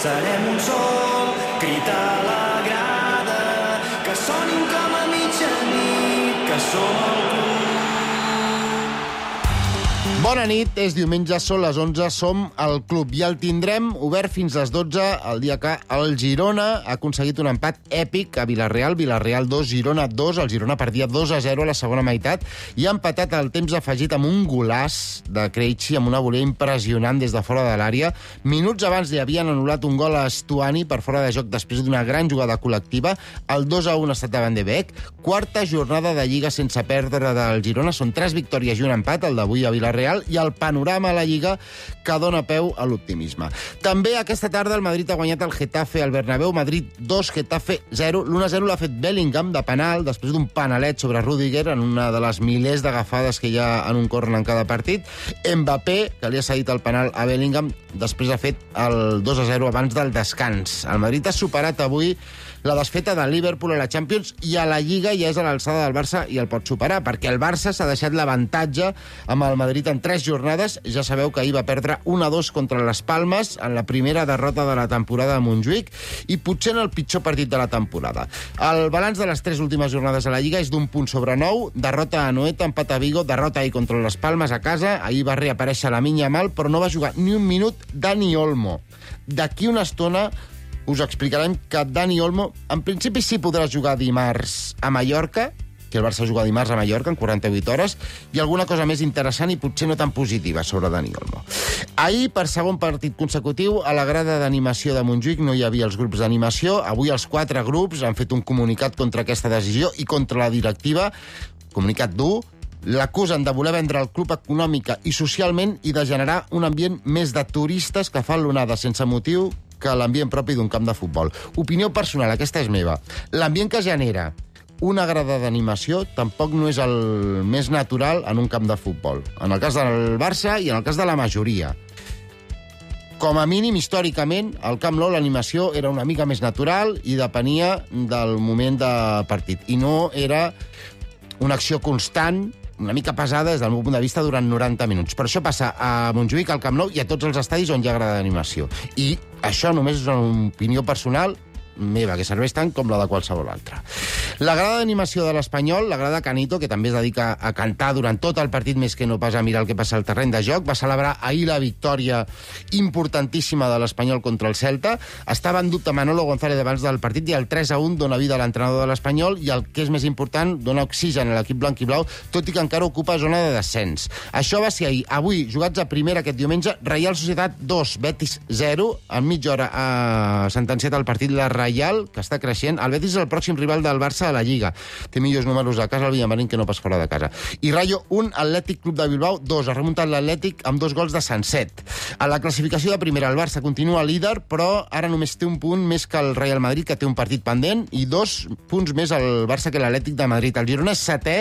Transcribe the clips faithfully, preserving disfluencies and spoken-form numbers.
Serem un sol, crit a la grada, que sonin com a mitjanit, que som el club. Bona nit, és diumenge, són les onze, som al club i el tindrem obert fins a les dotze, el dia que el Girona ha aconseguit un empat èpic a Villarreal, Villarreal dos, Girona dos, el Girona perdia dos a zero a la segona meitat i ha empatat el temps afegit amb un golaç de Krejci, amb una volea impressionant des de fora de l'àrea. Minuts abans li havien anul·lat un gol a Stuani per fora de joc després d'una gran jugada col·lectiva, el dos a un ha estat davant de Beck, quarta jornada de Lliga sense perdre del Girona, són tres victòries i un empat, el d'avui a Villarreal, i el panorama a la Lliga que dona peu a l'optimisme. També aquesta tarda el Madrid ha guanyat el Getafe al Bernabéu, Madrid dos, Getafe zero. l'un a zero l'ha fet Bellingham de penal, després d'un panalet sobre Rüdiger en una de les milers d'agafades que hi ha en un córner en cada partit. Mbappé, que li ha cedit el penal a Bellingham, després ha fet el dos a zero abans del descans. El Madrid ha superat avui la desfeta del Liverpool a la Champions i a la Lliga ja és a l'alçada del Barça i el pot superar, perquè el Barça s'ha deixat l'avantatge amb el Madrid en tres jornades. Ja sabeu que ahir va perdre un a dos contra les Palmes en la primera derrota de la temporada a Montjuïc i potser en el pitjor partit de la temporada. El balanç de les tres últimes jornades a la Lliga és d'un punt sobre nou, derrota a Anoeta, empat a Vigo, derrota ahir contra les Palmes a casa, ahir va reaparèixer la Lamine Yamal, però no va jugar ni un minut Dani Olmo. D'aquí una estona us explicarem que Dani Olmo, en principi sí podrà jugar dimarts a Mallorca, que el Barça juga dimarts a Mallorca en quaranta-vuit hores, i alguna cosa més interessant i potser no tan positiva sobre Dani Olmo. Ahir, per segon partit consecutiu, a la grada d'animació de Montjuïc no hi havia els grups d'animació. Avui els quatre grups han fet un comunicat contra aquesta decisió i contra la directiva. Comunicat dur. L'acusen de voler vendre el club econòmica i socialment i de generar un ambient més de turistes que fan l'onada sense motiu que l'ambient propi d'un camp de futbol. Opinió personal, aquesta és meva. L'ambient que genera una grada d'animació tampoc no és el més natural en un camp de futbol. En el cas del Barça i en el cas de la majoria. Com a mínim, històricament, al Camp Nou l'animació era una mica més natural i depenia del moment de partit. I no era una acció constant, una mica pesada des del meu punt de vista durant noranta minuts. Per això passa a Montjuïc, al Camp Nou i a tots els estadis on hi ha grada d'animació. I això només és una opinió personal meva, que serveix tant com la de qualsevol altra. La grada d'animació de l'Espanyol, la grada Canito, que també es dedica a cantar durant tot el partit més que no pas a mirar el que passa al terreny de joc, va celebrar ahir la victòria importantíssima de l'Espanyol contra el Celta. Estava en dubte Manolo González abans del partit i el tres a un dona vida a l'entrenador de l'Espanyol i el que és més important, dona oxigen a l'equip blanc i blau, tot i que encara ocupa zona de descens. Això va ser ahir. Avui, jugats a primera aquest diumenge, Reial Societat dos, Betis zero, en mitja hora ha sentenciat el partit la Reial, que està creixent. El Betis és el pròxim rival del Barça a la Lliga. Té millors números a casa el Villamarín que no pas fora de casa. I Rayo un, Atlètic Club de Bilbao dos. Ha remuntat l'Atlètic amb dos gols de Sanset. A la classificació de primera, el Barça continua líder, però ara només té un punt més que el Real Madrid, que té un partit pendent, i dos punts més al Barça que l'Atlètic de Madrid. El Girona és setè,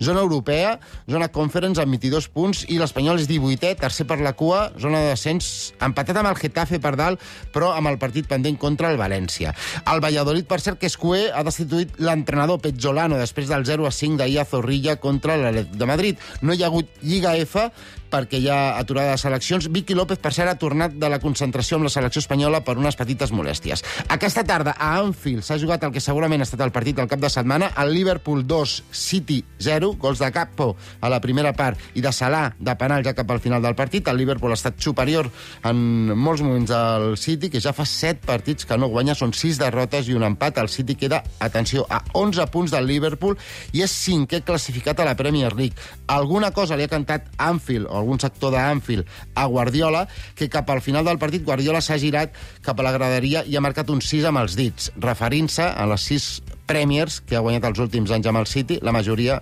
zona europea, zona Conference amb vint-i-dos punts, i l'Espanyol és divuitè, tercer per la cua, zona de descens, empatat amb el Getafe per dalt, però amb el partit pendent contra el València. El Valladolid, per cert, que Escué ha destituït l'entrenador Pezzolano després del zero a cinc d'ahir a Zorrilla contra l'Atlètic de Madrid. No hi ha hagut Lliga F perquè hi ha aturada de seleccions. Vicky López, per cert, ha tornat de la concentració amb la selecció espanyola per unes petites molèsties. Aquesta tarda, a Anfield, s'ha jugat el que segurament ha estat el partit del cap de setmana. El Liverpool dos, City zero, gols de Gakpo a la primera part i de Salah de penal ja cap al final del partit. El Liverpool ha estat superior en molts moments al City, que ja fa set partits que no guanya, són sis derrotes i un empat. El City queda, atenció, a onze punts del Liverpool i és cinquè classificat a la Premier League. Alguna cosa li ha cantat Anfield, o algun sector d'Anfield, a Guardiola, que cap al final del partit Guardiola s'ha girat cap a la graderia i ha marcat un sis amb els dits, referint-se a les sis Premiers que ha guanyat els últims anys amb el City, la majoria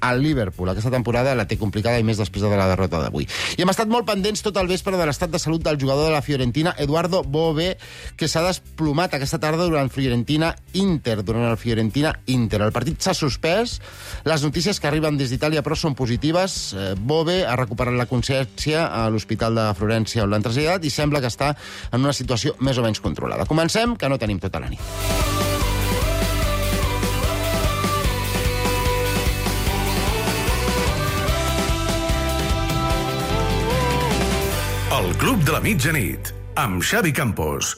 al Liverpool. Aquesta temporada la té complicada i més després de la derrota d'avui. I hem estat molt pendents tot el vespre de l'estat de salut del jugador de la Fiorentina, Eduardo Bove, que s'ha desplomat aquesta tarda durant Fiorentina-Inter, durant el Fiorentina-Inter. El partit s'ha suspès, les notícies que arriben des d'Itàlia però són positives. Bove ha recuperat la consciència a l'Hospital de Florència on l'han traslladat i sembla que està en una situació més o menys controlada. Comencem, que no tenim tota la nit. El Club de la Mitjanit, amb Xavi Campos.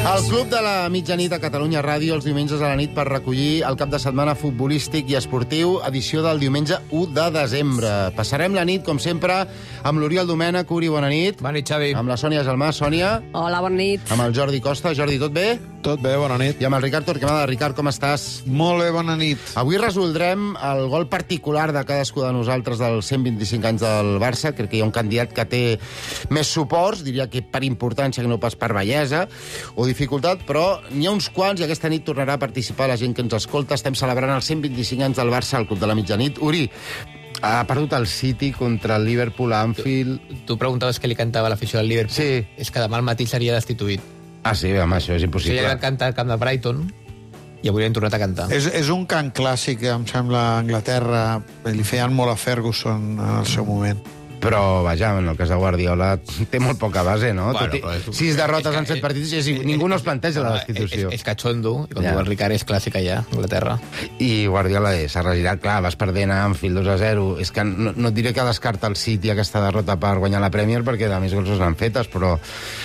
El Club de la Mitjanit a Catalunya Ràdio els diumenges a la nit per recollir el cap de setmana futbolístic i esportiu, edició del diumenge u de desembre. Passarem la nit, com sempre, amb l'Oriol Domènech. Uri, bona nit. Bona nit, Xavi. Amb la Sònia Gelmà. Sònia. Hola, bona nit. Amb el Jordi Costa. Jordi, tot bé? Tot bé, bona nit. I amb el Ricard Torquemada. Ricard, com estàs? Molt bé, bona nit. Avui resoldrem el gol particular de cadascú de nosaltres dels cent vint-i-cinc anys del Barça. Crec que hi ha un candidat que té més suports, diria que per importància que no pas per bellesa o dificultat, però n'hi ha uns quants i aquesta nit tornarà a participar la gent que ens escolta. Estem celebrant els cent vint-i-cinc anys del Barça al Club de la Mitjanit. Uri, ha perdut el City contra el Liverpool a Anfield. Tu, tu preguntaves què li cantava l'afició del Liverpool. Sí. És que demà al matí seria destituït. Ah, sí, home, això és O impossible. sigui, ja van cantar al camp de Brighton i avui l'hem tornat a cantar. És, és un cant clàssic, em sembla, a Anglaterra. Li feien molt a Ferguson en el seu moment. Però, vaja, en el cas de Guardiola té molt poca base, no? Bueno, Tot i, però és- sis derrotes és que- en set partits i ningú no es planteja la destitució. És, és catxondo, i com Ja. diu el Ricard, és clàssica ja, a Anglaterra. I Guardiola s'ha regirat, clar, vas perdent a Anfield dos a zero. És que no, no et diré que descarta el City aquesta derrota per guanyar la Premier, perquè de més gols no s'han fetes, però,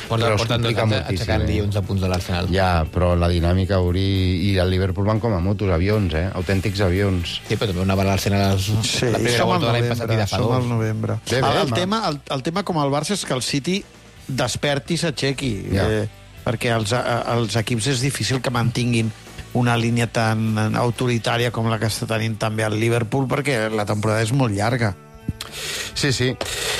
Porten, però es porten dos complica anys moltíssim. aixecant-li eh? onze punts de l'Arsenal. Ja, però la dinàmica, Uri, i el Liverpool van com a motos, avions, eh? Autèntics avions. Sí, però també una barra l'Arsenal Sí, la primera som al volta de l'any passat i novembre. de fa Som al dos. novembre. Bé, bé, el, el, home. tema, el, el tema com el Barça és que el City desperti i s'aixequi. Ja. Eh, perquè els, eh, els equips és difícil que mantinguin una línia tan autoritària com la que està tenint també el Liverpool, perquè la temporada és molt llarga. Sí, sí.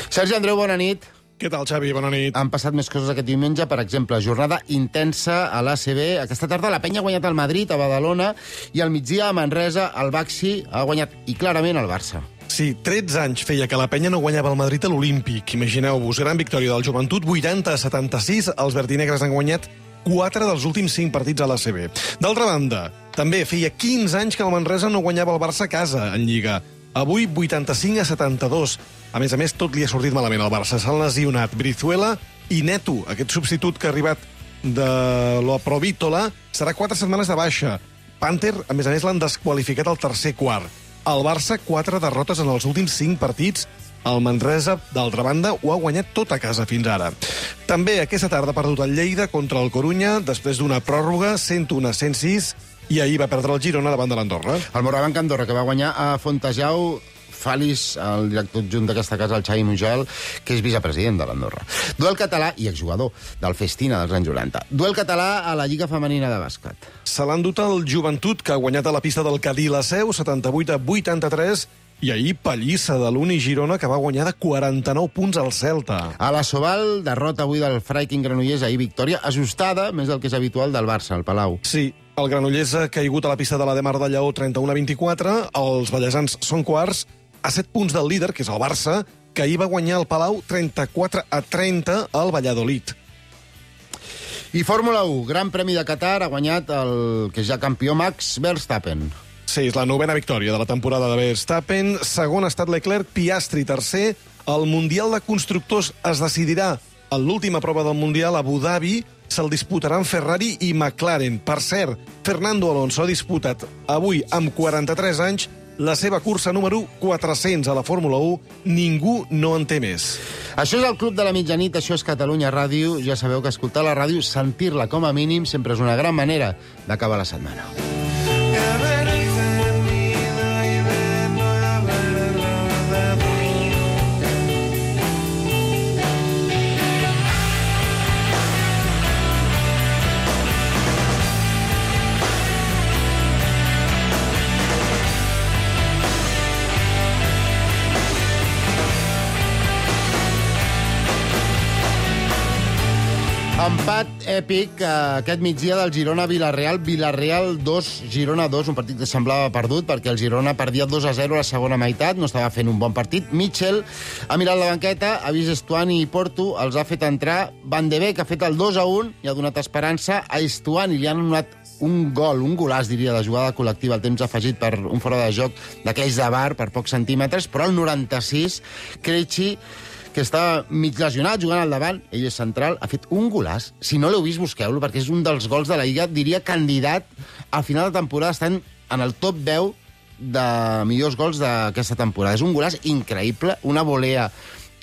Sergi Andreu, bona nit. Què tal, Xavi? Bona nit. Han passat més coses aquest diumenge, per exemple, jornada intensa a l'A C B. Aquesta tarda la Penya ha guanyat el Madrid, a Badalona, i al migdia a Manresa el Baxi ha guanyat, i clarament, el Barça. Sí, tretze anys feia que la penya no guanyava el Madrid a l'Olímpic. Imagineu-vos, gran victòria del Joventut, vuitanta a setanta-sis. Els verdinegres han guanyat quatre dels últims cinc partits a l'A C B. D'altra banda, també feia quinze anys que el Manresa no guanyava el Barça a casa en Lliga. Avui, vuitanta-cinc a setanta-dos. A més a més, tot li ha sortit malament al Barça. S'han lesionat Brizuela i Neto, aquest substitut que ha arribat de la Provítola, serà quatre setmanes de baixa. Panther, a més a més, l'han desqualificat al tercer quart. El Barça, quatre derrotes en els últims cinc partits. El Manresa, d'altra banda, ho ha guanyat tot a casa fins ara. També aquesta tarda ha perdut el Lleida contra el Corunya, després d'una pròrroga, cent un a cent sis, i ahir va perdre el Girona davant de l'Andorra. El Morabanc Andorra, que va guanyar a Fontejau, Falis, el director adjunt d'aquesta casa, el Xavi Mujal, que és vicepresident de l'Andorra. Duel català i exjugador del Festina dels anys noranta. Duel català a la Lliga Femenina de Bàsquet. Se l'ha endut el Joventut, que ha guanyat a la pista del Cadí la Seu, setanta-vuit a vuitanta-tres, i ahir pallissa de l'Uni Girona, que va guanyar de quaranta-nou punts al Celta. A la Sobal, derrota avui del Freiking Granollers, ahir victòria ajustada, més del que és habitual del Barça, al Palau. Sí, el Granollers ha caigut a la pista de la Demar de Lleó trenta-un a vint-i-quatre, els ballesans són quarts, a set punts del líder, que és el Barça, que ahir va guanyar el Palau trenta-quatre a trenta al Valladolid. I Fórmula u, Gran Premi de Qatar, ha guanyat el que és ja campió Max Verstappen. Sí, és la novena victòria de la temporada de Verstappen. Segon ha estat Leclerc, Piastri tercer. El Mundial de Constructors es decidirà en l'última prova del Mundial a Abu Dhabi. Se'l disputaran Ferrari i McLaren. Per cert, Fernando Alonso ha disputat avui, amb quaranta-tres anys, la seva cursa número quatre-cents a la Fórmula u. Ningú no en té més. Això és el Club de la Mitjanit, això és Catalunya Ràdio. Ja sabeu que escoltar la ràdio, sentir-la com a mínim, sempre és una gran manera d'acabar la setmana. Empat èpic eh, aquest migdia del Girona-Villarreal. Villarreal dos, Girona dos, un partit que semblava perdut perquè el Girona perdia dos a zero a la segona meitat, no estava fent un bon partit. Mitchell ha mirat la banqueta, ha vist Estuani i Porto, els ha fet entrar. Van de Beek ha fet el dos a un i ha donat esperança a Estuani. Li han donat un gol, un golaç, diria, de jugada col·lectiva, el temps afegit per un fora de joc d'aquells de bar per pocs centímetres, però al noranta-sis, Krejci, que està mig lesionat, jugant al davant, ell és central, ha fet un golaç. Si no l'heu vist, busqueu-lo, perquè és un dels gols de la Lliga, diria candidat al final de temporada, estan en el top deu de millors gols d'aquesta temporada. És un golaç increïble, una volea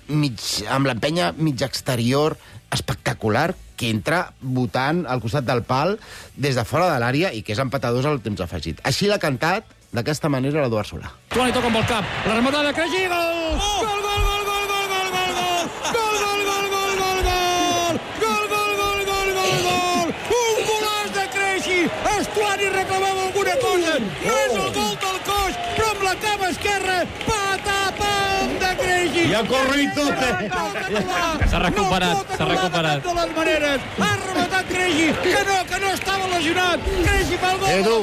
mig, amb l'empenya mig exterior, espectacular que entra votant al costat del pal des de fora de l'àrea i que és empatadors al temps afegit. Així l'ha cantat d'aquesta manera l'Eduard Solà. Tuani toca amb el cap, la rematada de Creixi, gol! Gol, gol, gol, gol, gol, gol, gol, gol! Gol, gol, gol, gol, gol, gol! Gol, gol, gol, gol, gol, gol! Un golaç de Creixi! Estuani reclamava alguna cosa! És el gol del coix, però amb la cama esquerra, patapam de Creixi! I ha corrit tot, eh? S'ha recuperat, s'ha recuperat. De les maneres, ha rematat Creixi, que no, que no estava lesionat! Creixi pel gol! Edu!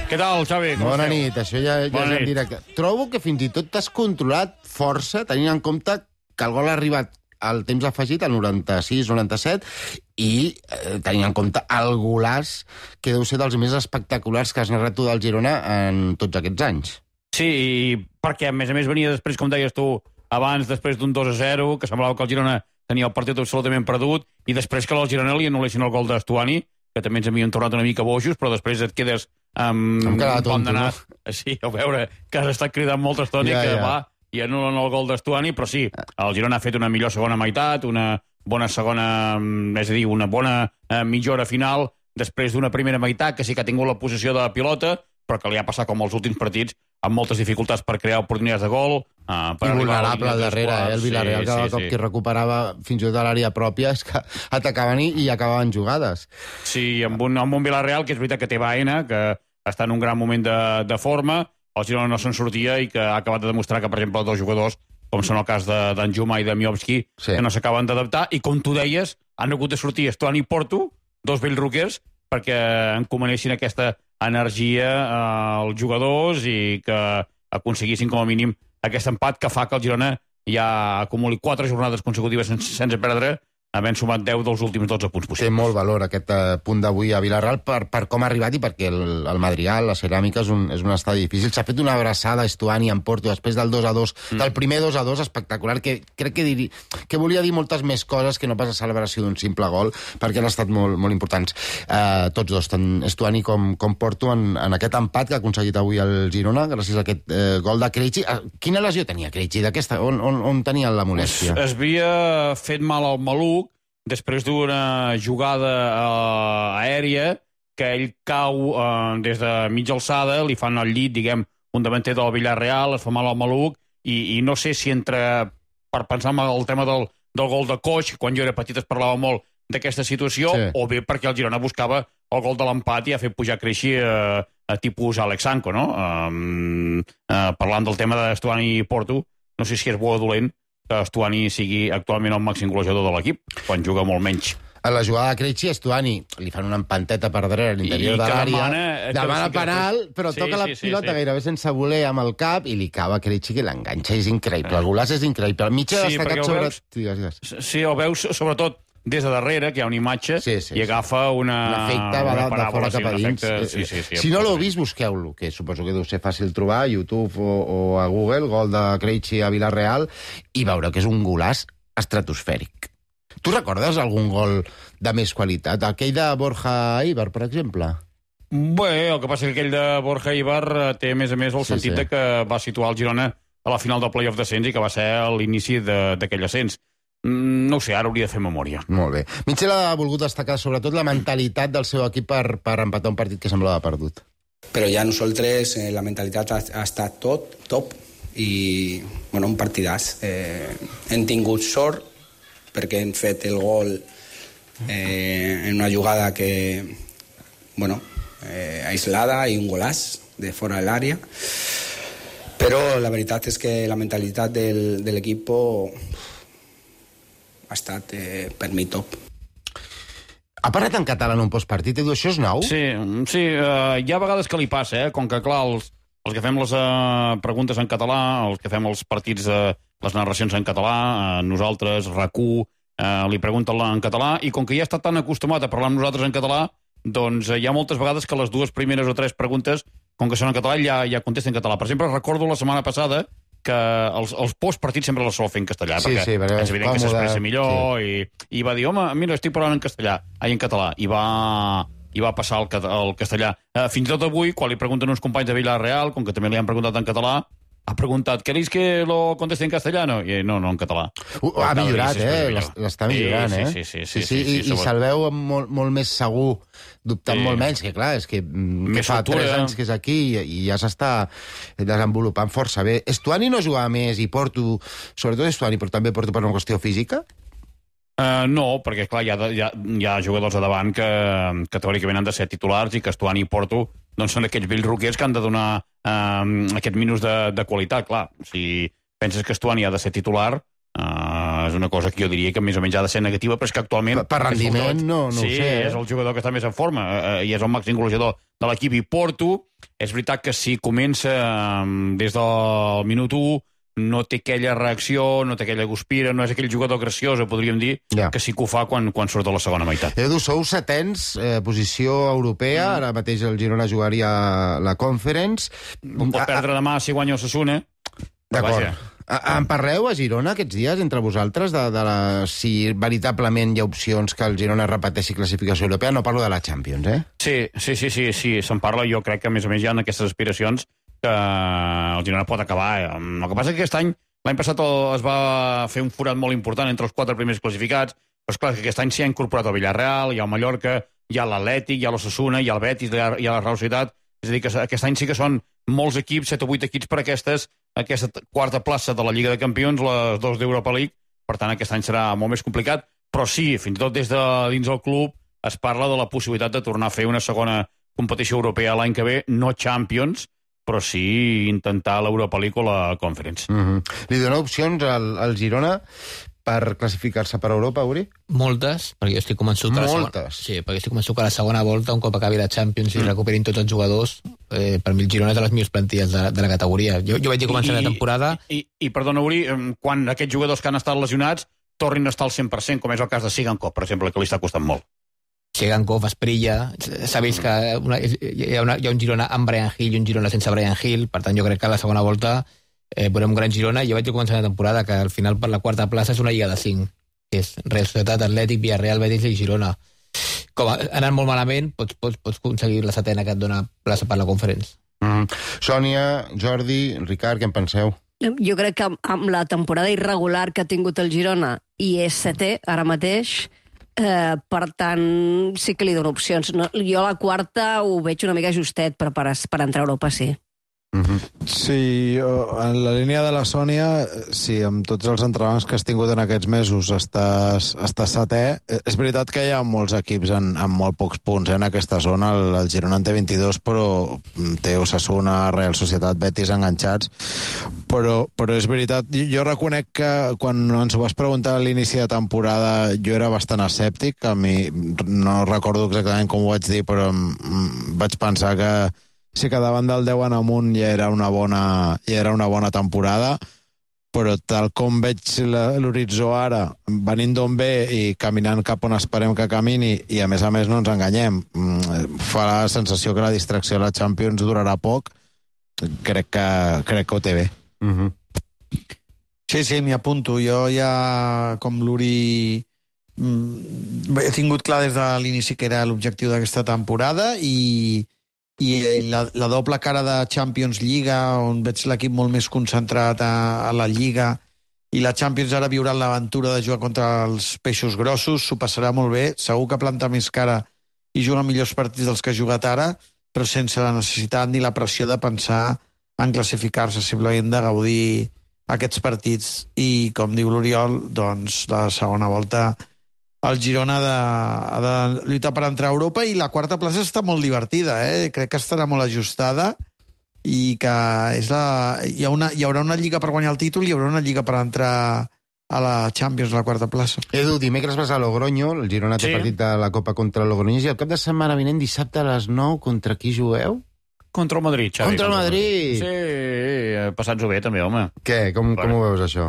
Què tal, Xavi? Com Bona esteu? nit, això ja, ja és en directe. Trobo que fins i tot t'has controlat força, tenint en compte que el gol ha arribat al temps afegit, al noranta-sis noranta-set, i eh, tenint en compte el golaç que deu ser dels més espectaculars que has narrat tu del Girona en tots aquests anys. Sí, i perquè a més a més venia després, com deies tu, abans, després d'un dos a zero, que semblava que el Girona tenia el partit absolutament perdut, i després que el Girona li anul·lessin el gol d'Estuani, que també ens havien tornat una mica bojos, però després et quedes amb Em quedat un pont tonto, d'anar. no? Sí, a veure, que has estat cridant molta estona Ja, i que ja. va i anulen el gol d'Estuani, però sí, el Girona ha fet una millor segona meitat, una bona segona, és a dir, una bona eh, millora final, després d'una primera meitat que sí que ha tingut la posició de la pilota, però que li ha passat com els últims partits, amb moltes dificultats per crear oportunitats de gol. Uh, per I arribar a la vulnerable línia al de darrere, tres eh? El Villarreal, quarts. cada Sí, cop sí, que sí. recuperava fins i tot a l'àrea pròpia, és que atacaven i, i acabaven jugades. Sí, amb un, amb un Villarreal que és veritat que té Baena, que està en un gran moment de, de forma, el Girona no se'n sortia i que ha acabat de demostrar que, per exemple, dos jugadors, com són el cas d'en Juma i de Miovski, Sí. que no s'acaben d'adaptar, i com tu deies, han hagut de sortir Estuani i Porto, dos vells roquers, perquè encomanessin aquesta energia eh, als jugadors i que aconseguissin com a mínim aquest empat que fa que el Girona ja acumuli quatre jornades consecutives sense, sense perdre, havent sumat deu dels últims dotze punts Té possibles. molt valor aquest eh, punt d'avui a Villarreal per, per com ha arribat i perquè el, el Madrigal, la ceràmica, és un, és un estadi difícil. S'ha fet una abraçada a Estuani en Porto després del dos a dos, mm. del primer dos a dos espectacular, que crec que, diri, que volia dir moltes més coses que no pas la celebració d'un simple gol, perquè han estat molt, molt importants. Eh, tots dos, tant Estuani com, com Porto, en, en aquest empat que ha aconseguit avui el Girona, gràcies a aquest eh, gol de Krejci. Eh, quina lesió tenia Krejci? D'aquesta? On, on, on tenia la molèstia? Es havia fet mal al maluc després d'una jugada uh, aèria que ell cau uh, des de mitja alçada, li fan al llit, diguem, un davanter del Villarreal, es fa mal al maluc, i, i no sé si entre, per pensar en el tema del, del gol de Coix, quan jo era petit es parlava molt d'aquesta situació, Sí. o bé perquè el Girona buscava el gol de l'empat i ha fet pujar Creixi a, a tipus Alex Sanko, no? Um, uh, parlant del tema d'Estuani i Porto, no sé si és bo o dolent que Estuani sigui actualment el màxim golejador de l'equip, quan juga molt menys. A la jugada de Krejci, Estuani li fan una empanteta per darrere a l'interior I de que l'àrea, demana- que demana sí que- penal, però sí, toca la sí, sí, pilota sí. gairebé sense voler amb el cap i li cava a Krejci, que l'enganxa. És increïble, el golaç és increïble. El mitjà Sí, destacat perquè el sobre... veus- Digues, digues. Sí, el veus sobretot des de darrere, que hi ha una imatge, Sí, sí, i sí. agafa una... L'efecte va una de, de paràbola, fora sí, cap a un dins. efecte- Eh, Sí, sí, sí, si no l'heu absolutament. vist, busqueu-lo, que suposo que deu ser fàcil trobar a YouTube o, o a Google, gol de Krejci a Villarreal, i veure que és un golaç estratosfèric. Tu recordes algun gol de més qualitat? Aquell de Borja Ibar, per exemple? Bé, el que passa que aquell de Borja Ibar eh, té, a més a més, el Sí, sentit sí. de que va situar el Girona a la final del playoff d'ascens i que va ser l'inici de- d'aquell ascens. Mm, No ho sé, ara hauria de fer memòria. Molt bé. Mitchell ha volgut destacar sobretot la mentalitat del seu equip per, per empatar un partit que semblava perdut. Però ja nosaltres eh, la mentalitat ha, ha estat tot, top, i bueno, un partidàs. Eh, hem tingut sort perquè hem fet el gol eh, en una jugada que, bueno, eh, aislada i un golaç de fora de l'àrea. Però la veritat és que la mentalitat del, de l'equip ha estat, eh, per mi, top. Ha parlat en català en un postpartit, Edu, això és nou? Sí, sí uh, hi ha vegades que li passa, eh? Com que, clar, els, els que fem les uh, preguntes en català, els que fem els partits, uh, les narracions en català, uh, nosaltres, R A C U, uh, li pregunten en català, i com que ja està tan acostumat a parlar amb nosaltres en català, doncs uh, hi ha moltes vegades que les dues primeres o tres preguntes, com que són en català, ja, ja contesten en català. Per exemple, recordo la setmana passada que els, els postpartits sempre les sol fer en castellà, Sí, perquè sí, perquè és és evident que còmode, s'expressa millor, sí. i, i va dir, home, mira, estic parlant en castellà, ai, en català, i va, i va passar al, al castellà. Eh, fins i tot avui, quan li pregunten uns companys de Villarreal, com que també li han preguntat en català, ha preguntat, ¿queréis que lo conteste en castellano? I no, no, en català. Uh, ha millorat, eh? L'està millorant, eh? Sí, sí, sí, sí. sí, i, i se'l veu molt, molt més segur, dubtant Sí. molt menys, que clar, és que, mm, que Més fa soltura. tres anys que és aquí i, i ja s'està desenvolupant força bé. Estuani no jugava més i Porto, sobretot Estuani, però també Porto per una qüestió física? Uh, no, perquè clar, hi ha, hi, ha, hi ha jugadors a davant que, que teòricament han de ser titulars i que Estuani i Porto doncs són aquells vells roquers que han de donar uh, aquest minus de, de qualitat. Clar, si penses que Estuani ha de ser titular, uh, és una cosa que jo diria que més o menys ha de ser negativa, però és que actualment... Per, per rendiment, no, no sí, ho sé. Eh? és el jugador que està més en forma uh, i és el màxim golejador de l'equip. I Porto, és veritat que si comença um, des del minut u, no té aquella reacció, no té aquella guspira, no és aquell jugador graciós, podríem dir, Ja. que sí que ho fa quan, quan surt a la segona meitat. Edu, sou setens, eh, posició europea, mm. ara mateix el Girona jugaria la Conference. Pot perdre demà si guanya Osasuna. D'acord. Vaja. A- En parleu a Girona aquests dies, entre vosaltres, de, de la, si veritablement hi ha opcions que el Girona repeteixi classificació europea? No parlo de la Champions, eh? Sí, sí, sí, sí, sí se'n parla. Jo crec que, a més a més, hi ha aquestes aspiracions que el Girona pot acabar. El que passa és que aquest any, l'any passat es va fer un forat molt important entre els quatre primers classificats, però és clar que aquest any s'hi ha incorporat el Villarreal, hi ha el Mallorca, hi ha l'Atlètic, hi ha l'Osasuna, hi ha el Betis, hi ha, hi ha la Real Societat. És a dir, que aquest any sí que són molts equips, set o vuit equips per aquestes, aquesta quarta plaça de la Lliga de Campions, les dos d'Europa League. Per tant, aquest any serà molt més complicat, però sí, fins i tot des de dins del club es parla de la possibilitat de tornar a fer una segona competició europea l'any que ve, no Champions, però sí intentar l'Europa League o la Conference. Mm-hmm. Li dona opcions al, al Girona per classificar-se per Europa, Uri? Moltes, perquè jo estic convençut que la segona, Moltes. sí, perquè estic convençut que la segona volta, un cop acabi la Champions i recuperin tots els jugadors, eh, per mi el Girona és de les millors plantilles de, de la categoria. Jo, jo vaig dir començar la temporada... I, i, i perdona, Uri, quan aquests jugadors que han estat lesionats tornin a estar al cent per cent, com és el cas de Sigankov, per exemple, que li està costant molt. Sigankov, Esprilla, s'ha vist que una, hi, ha una, hi ha un Girona amb Brian Hill i un Girona sense Brian Hill, per tant jo crec que a la segona volta eh, veurem un gran Girona. Jo vaig dir començar la temporada que al final per la quarta plaça és una lliga de cinc, que és Real Societat, Atlètic, Villarreal, Betis i Girona. Com ha anat molt malament, pots, pots, pots aconseguir la setena que et dona plaça per la Conference. Mm. Sònia, Jordi, Ricard, què en penseu? Jo crec que amb la temporada irregular que ha tingut el Girona i és setè ara mateix, eh, per tant sí que li dono opcions. No, jo a la quarta ho veig una mica justet, però per, per entrar a Europa sí. Mm-hmm. Sí, en la línia de la Sònia, sí, amb tots els entrenaments que has tingut en aquests mesos estàs, estàs setè. És veritat que hi ha molts equips en, en molt pocs punts eh, en aquesta zona. El, el Girona en té vint-i-dos, però té Osasuna, Real Societat, Betis enganxats. Però, però és veritat, jo reconec que quan ens ho vas preguntar a l'inici de temporada jo era bastant escèptic. A mi no recordo exactament com ho vaig dir, però vaig pensar que sí que davant del deu en amunt ja era una bona, ja era una bona temporada, però tal com veig l'horitzó ara, venint d'on ve i caminant cap on esperem que camini, i a més a més no ens enganyem, fa la sensació que la distracció de la Champions durarà poc, crec que, crec que ho té bé. Mm-hmm. Sí, sí, m'hi apunto. Jo ja, com l'Uri, he tingut clar des de l'inici que era l'objectiu d'aquesta temporada i i la, la doble cara de Champions Lliga, on veig l'equip molt més concentrat a, a la Lliga, i la Champions ara viurà l'aventura de jugar contra els peixos grossos, s'ho passarà molt bé, segur que planta més cara i juga millors partits dels que ha jugat ara, però sense la necessitat ni la pressió de pensar en classificar-se, simplement de gaudir aquests partits. I, com diu l'Oriol, doncs la segona volta el Girona ha de, ha de lluitar per entrar a Europa, i la quarta plaça està molt divertida, eh? Crec que estarà molt ajustada i que és la, hi, ha una, hi haurà una lliga per guanyar el títol i hi haurà una lliga per entrar a la Champions, a la quarta plaça. Edu, dimecres vas a Logroño, el Girona té Sí. partit de la Copa contra el Logroñés, i el cap de setmana vinent, dissabte a les nou, contra qui jugueu? Contra el Madrid, Xavi. Contra el Madrid! Sí, passats-ho bé, també, home. Què? Com, com ho veus, això?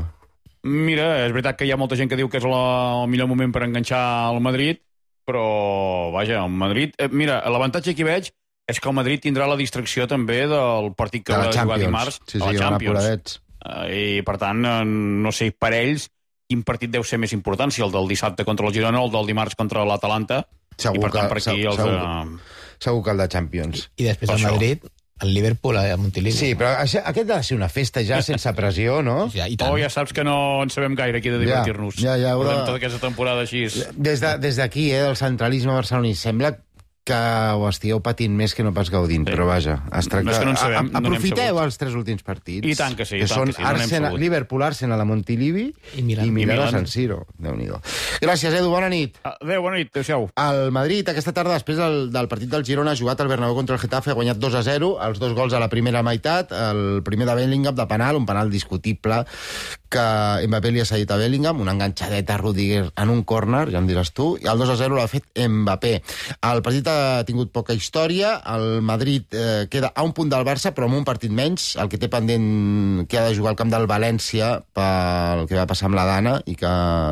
Mira, és veritat que hi ha molta gent que diu que és la, el millor moment per enganxar al Madrid, però, vaja, el Madrid... Eh, mira, l'avantatge que hi veig és que el Madrid tindrà la distracció també del partit que De la va jugar Champions. dimarts Sí, sí, a la van Champions. apuradets. Eh, I, per tant, eh, no sé per ells quin partit deu ser més important, si el del dissabte contra el Girona o el del dimarts contra l'Atalanta. Segur I, per tant, que- per aquí segur- els... segur. Eh, Segur que el de Champions. I després Per el això. Madrid, el Liverpool a Montilivi. Sí, però això, aquest ha de ser una festa ja sense pressió, no? Ja, i tant. Oh, ja saps que no en sabem gaire aquí de divertir-nos. Ja, ja, ja, Portem però- tota aquesta temporada així. Des de- des d'aquí, eh, del centralisme barceloní, sembla que ho estigueu patint més que no pas gaudint, Sí. però vaja, es tracta... No és que no en sabem, A- no n'hem aprofiteu sabut. els tres últims partits. I tant que sí, i que tant són que sí, no n'hem Arsenal, sabut. Liverpool, Arsenal a Montilivi I Milan. i Milan I a Milan. San Siro. Déu-n'hi-do. Gràcies, Edu, bona nit. Adéu, bona nit, adéu-siau. El Madrid, aquesta tarda, després del, del partit del Girona, ha jugat al Bernabéu contra el Getafe, ha guanyat dos a zero, els dos gols a la primera meitat, el primer de Bellingham de penal, un penal discutible que Mbappé li ha cedit a Bellingham, una enganxadeta a Rudiger en un córner, ja em diràs tu, i el dos a zero l'ha fet Mbappé. El partit ha tingut poca història, el Madrid eh, queda a un punt del Barça, però amb un partit menys, el que té pendent que ha de jugar al camp del València pel que va passar amb la Dana i que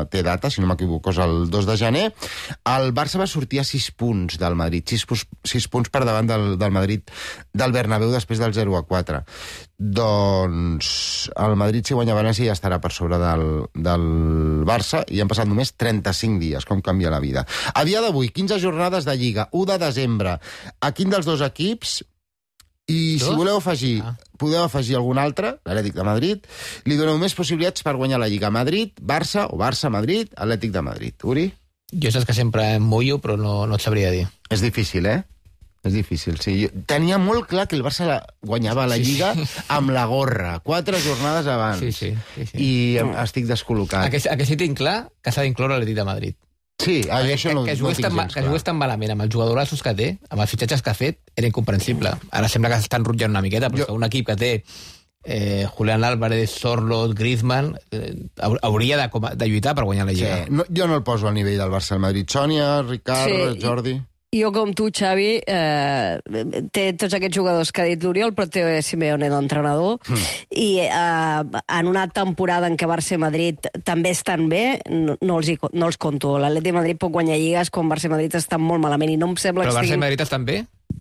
té data, si no m'equivoco, és el dos de gener. El Barça va sortir a sis punts del Madrid, sis, sis punts per davant del, del Madrid del Bernabéu després del zero a quatre. Doncs el Madrid, si guanya València, ja estarà per sobre del, del Barça i han passat només trenta-cinc dies, com canvia la vida. A dia d'avui, quinze jornades de Lliga, u de desembre. A quin dels dos equips, i si Dos? voleu afegir, Ah. podeu afegir algun altre, l'Atlètic de Madrid, li doneu més possibilitats per guanyar la Lliga. Madrid, Barça o Barça-Madrid, Atlètic de Madrid. Uri? Jo saps que sempre em mullo, però no, no et sabria dir. És difícil, eh? És difícil, sí. Jo tenia molt clar que el Barça la guanyava la Sí, Lliga sí. amb la gorra, quatre jornades abans. Sí, sí. sí, sí. I em- estic descol·locat. A que, a que sí tinc clar que s'ha d'incloure l'Atlètic de Madrid. Sí, ah, jo això que, no, que, no jugués tinc tan, ma- gens que clar. jugués tan malament amb els jugadorassos que té, amb els fitxatges que ha fet, era incomprensible. Ara sembla que s'estan rotllant una miqueta, però Jo- jo... un equip que té eh, Julián Álvarez, Sorloth, Griezmann, eh, hau- hauria de, com a- de lluitar per guanyar la Sí, Lliga. no, jo no el poso al nivell del Barça al Madrid. Sònia, Ricard, Sí, Jordi... Jo, com tu, Xavi, eh, té tots aquests jugadors que ha dit l'Oriol, però té Simeone d'entrenador, mm. i eh, en una temporada en què Barça i Madrid també estan bé, no, no, els, hi, no els conto. L'Atlètic de Madrid pot guanyar lligues quan Barça i Madrid estan molt malament, i no em sembla Però que Barça i estiguin... Madrid estan bé?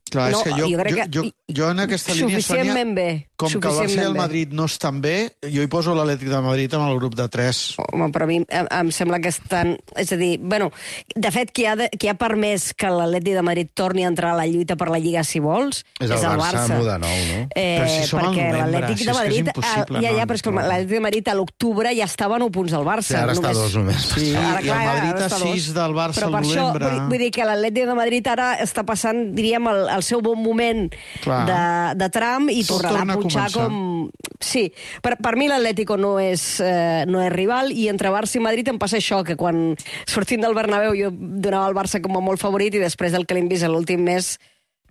Clar, No, és que jo, jo crec jo, que jo, jo en aquesta línia, Sònia, suficientment bé. com que el Barça i el suficientment bé. Madrid no estan bé, jo hi poso l'Atlètic de Madrid amb el grup de tres. Home, però a mi em, em sembla que estan... És a dir, bueno, de fet, qui ha, de, qui ha permès que l'Atlètic de Madrid torni a entrar a la lluita per la Lliga, si vols, És el Barça, muda nou, no? Eh, Però si som al perquè novembre, l'Atlètic si de és que és Madrid... impossible, ah, ja, ja, no, però és que no. l'Atlètic de Madrid a l'octubre ja estava a nou punts del Barça. Sí, ara està a dos només. Sí, Ara, i clar, el Madrid ara a està a dos. sis del Barça Però al per això, novembre. vull, vull dir que l'Atlètic de Madrid ara està passant, diríem, el, el seu bon moment Clar. de, de tram i Tot tornarà torna a a punxar començar. com... Sí, per, per mi l'Atlético no és, eh, no és rival, i entre Barça i Madrid em passa això, que quan sortint del Bernabéu jo donava el Barça com a molt favorit, i després del que l'hem vist l'últim mes,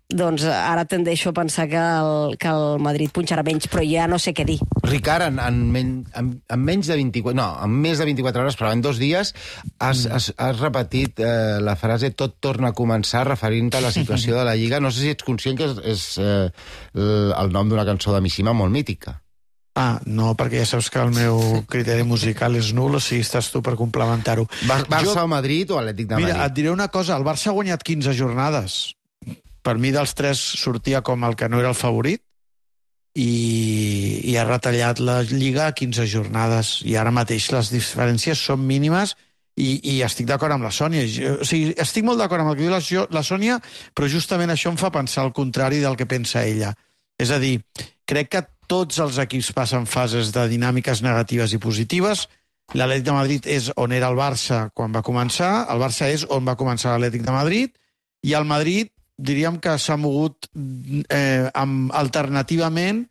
doncs ara tendeixo a pensar que el, que el Madrid punxarà menys, però ja no sé què dir. Ricard, en, en, men, en, en menys de vint-i-quatre... No, en més de vint-i-quatre hores, però en dos dies, has, has, has repetit eh, la frase «tot torna a començar», referint-te a la situació de la Lliga. No sé si ets conscient que és, és eh, el, el nom d'una cançó de Mishima molt mítica. Ah, no, perquè ja saps que el meu criteri musical és nul, o sigui, estàs tu per complementar-ho. Bar Barça Jo- o Madrid o Atlètic de Madrid? Mira, et diré una cosa, el Barça ha guanyat quinze jornades. Per mi, dels tres, sortia com el que no era el favorit, i, i ha retallat la Lliga a quinze jornades, i ara mateix les diferències són mínimes, i, i estic d'acord amb la Sònia. Jo, o sigui, estic molt d'acord amb el que diu la, la Sònia, però justament això em fa pensar el contrari del que pensa ella. És a dir, crec que tots els equips passen fases de dinàmiques negatives i positives. L'Atlètic de Madrid és on era el Barça quan va començar, el Barça és on va començar l'Atlètic de Madrid, i el Madrid diríem que s'ha mogut eh, amb, alternativament,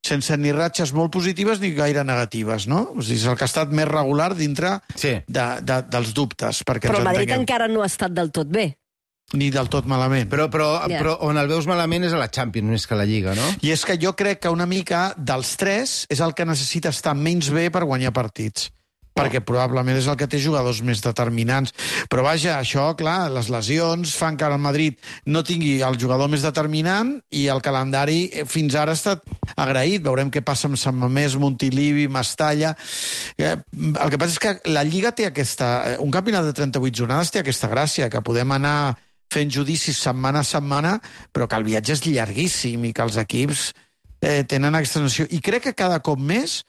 sense ni ratxes molt positives ni gaire negatives, no? O sigui, és el que ha estat més regular dintre Sí. de, de, dels dubtes. Perquè Però el ens Madrid entenguem. encara no ha estat del tot bé. Ni del tot malament. Però, però, Ja. però on el veus malament és a la Champions, més que a la Lliga, no? I és que jo crec que una mica dels tres és el que necessita estar menys bé per guanyar partits. Perquè probablement és el que té jugadors més determinants. Però vaja, això, clar, les lesions fan que el Madrid no tingui el jugador més determinant, i el calendari fins ara ha estat agraït. Veurem què passa amb Sant Mamés, Montilivi, Mestalla... Eh, el que passa és que la Lliga té aquesta... Un campionat de trenta-vuit jornades té aquesta gràcia, que podem anar fent judicis setmana a setmana, però que el viatge és llarguíssim i que els equips eh, tenen aquesta noció. I crec que cada cop més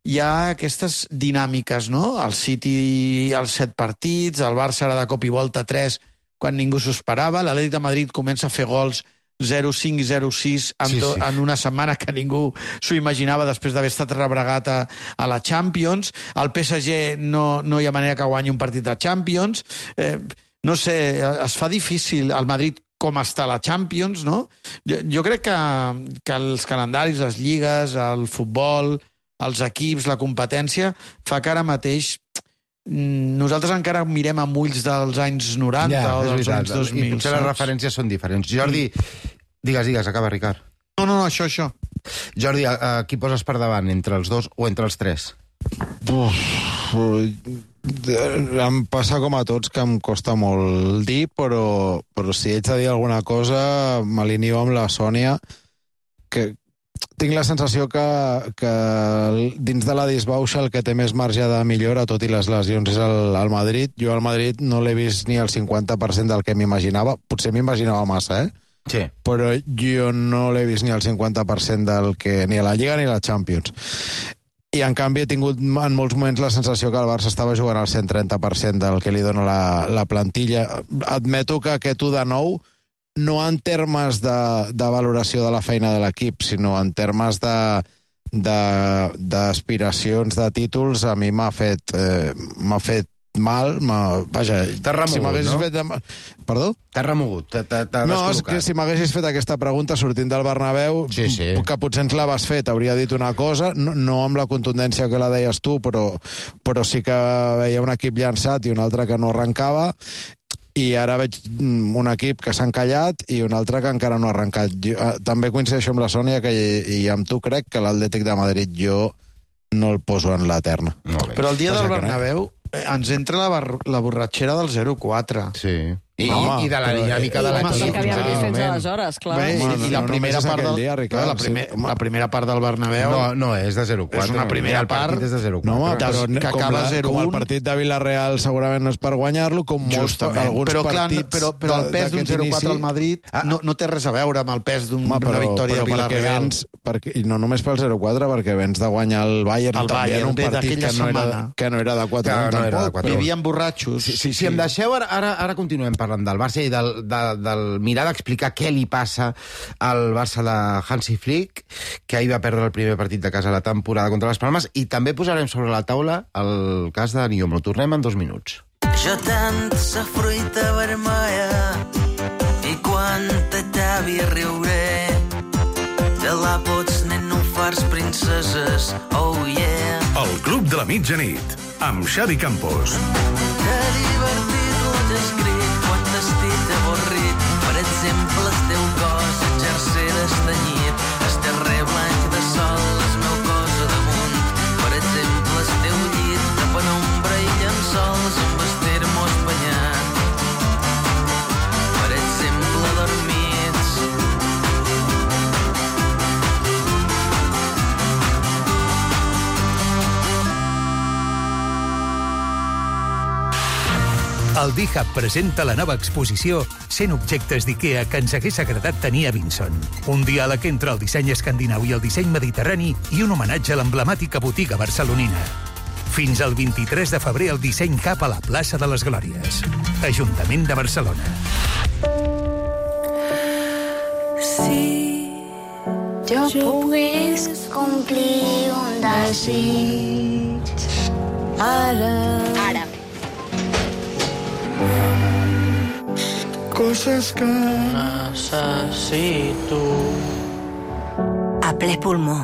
hi ha aquestes dinàmiques, no? El City, els set partits, el Barça ara de cop i volta tres, quan ningú s'ho esperava, l'Atlètic de Madrid comença a fer gols zero cinc i zero sis en, Sí, to, sí. en una setmana que ningú s'ho imaginava després d'haver estat rebregat a, a la Champions. El P S G no, no hi ha manera que guanyi un partit de Champions. Eh, no sé, es fa difícil. El Madrid com està la Champions, no? Jo, jo crec que, que els calendaris, les lligues, el futbol, els equips, la competència, fa que ara mateix nosaltres encara mirem amb ulls dels anys noranta Ja, o és dels veritat. anys dos mil. I potser les saps? referències són diferents. Jordi, digues, digues, acaba, Ricard. No, no, no, això, això. Jordi, a, a qui poses per davant, entre els dos o entre els tres? Uf, em passa com a tots que em costa molt dir, però, però si haig de dir alguna cosa, m'alineo amb la Sònia, que tinc la sensació que, que dins de la disbauxa el que té més marge de millora, tot i les lesions, és el, el Madrid. Jo al Madrid no l'he vist ni el cinquanta per cent del que m'imaginava. Potser m'imaginava massa, eh? Sí. Però jo no l'he vist ni el cinquanta per cent del que... ni a la Lliga ni a la Champions. I, en canvi, he tingut en molts moments la sensació que el Barça estava jugant al cent trenta per cent del que li dona la, la plantilla. Admeto que aquest u de nou, no en termes de, de valoració de la feina de l'equip, sinó en termes de d'aspiracions de, de títols, a mi m'ha fet, eh, m'ha fet mal, vaja... T'ha remogut, si m'haguessis no? fet... Perdó? T'ha remogut, t'ha No, és que si m'haguessis fet aquesta pregunta sortint del Bernabéu, sí, sí. que potser ens l'haves fet, hauria dit una cosa, no, no amb la contundència que la deies tu, però, però sí que veia un equip llançat i un altre que no arrencava, i ara veig un equip que s'ha encallat i un altre que encara no ha arrencat. Jo, també coincideixo amb la Sònia que, i amb tu crec que l'Atlètic de Madrid jo no el poso en la terna. Però el dia del Bernabéu ens entra la, la borratxera del zero quatre. Sí. I, Home, i de la però- dinàmica I de la l'equip. cosa que havíem vist fins Moment. aleshores, clar. Bé, Home, i, i la no primera només part aquell del, dia, Ricard, la, primer, sí, home. la primera part del Bernabéu No, no és de zero quatre. és una primera el partit part. és de zero quatre. No, home, Des- però que com, acaba la, zero com el un. partit de Villarreal segurament no és per guanyar-lo, com molts, Justament. alguns Però, clar, partits... però, però el pes d'un d'aquest zero quatre inici- al Madrid Ah. no, no té res a veure amb el pes d'un- Home, d'una però, victòria però a perquè Villarreal. vens, perquè, i no només pel zero quatre, perquè vens de guanyar el Bayern, El també Bayern, en un bé, partit d'aquella que no, era, setmana. que no era de quatre Que anys, no era de tampoc. quatre. Vivien borratxos. Si, si, si em deixeu, ara, ara, ara continuem parlant del Barça i del, de, del mirar d'explicar què li passa al Barça de Hansi Flick, que ahir va perdre el primer partit de casa a la temporada contra les Palmes, i també posarem sobre la taula el cas de Niom. Ho tornem en dos minuts. Jo tant sa fruita vermella i quan te t'avi riuré te la pots nen no fars princeses, oh yeah. El Club de la Mitjanit, amb Xavi Campos. Que divertit l'ho escrit quan t'estic avorrit. Per exemple, el teu cos exercer d'estanyit, el terrer blanc de sol, el meu cos a damunt. Per exemple, el teu llit de penombra i llençols amb el termo espanyat. Per exemple, dormits. El D-Hub presenta la nova exposició cent objectes d'IKEA que ens hagués agradat tenir a Vinson. Un diàleg entre el disseny escandinau i el disseny mediterrani i un homenatge a l'emblemàtica botiga barcelonina. Fins al vint-i-tres de febrer el disseny Hub a la plaça de les Glòries. Ajuntament de Barcelona. Si jo pogués complir un desig ara, ara. Coses que necessito. A ple pulmó,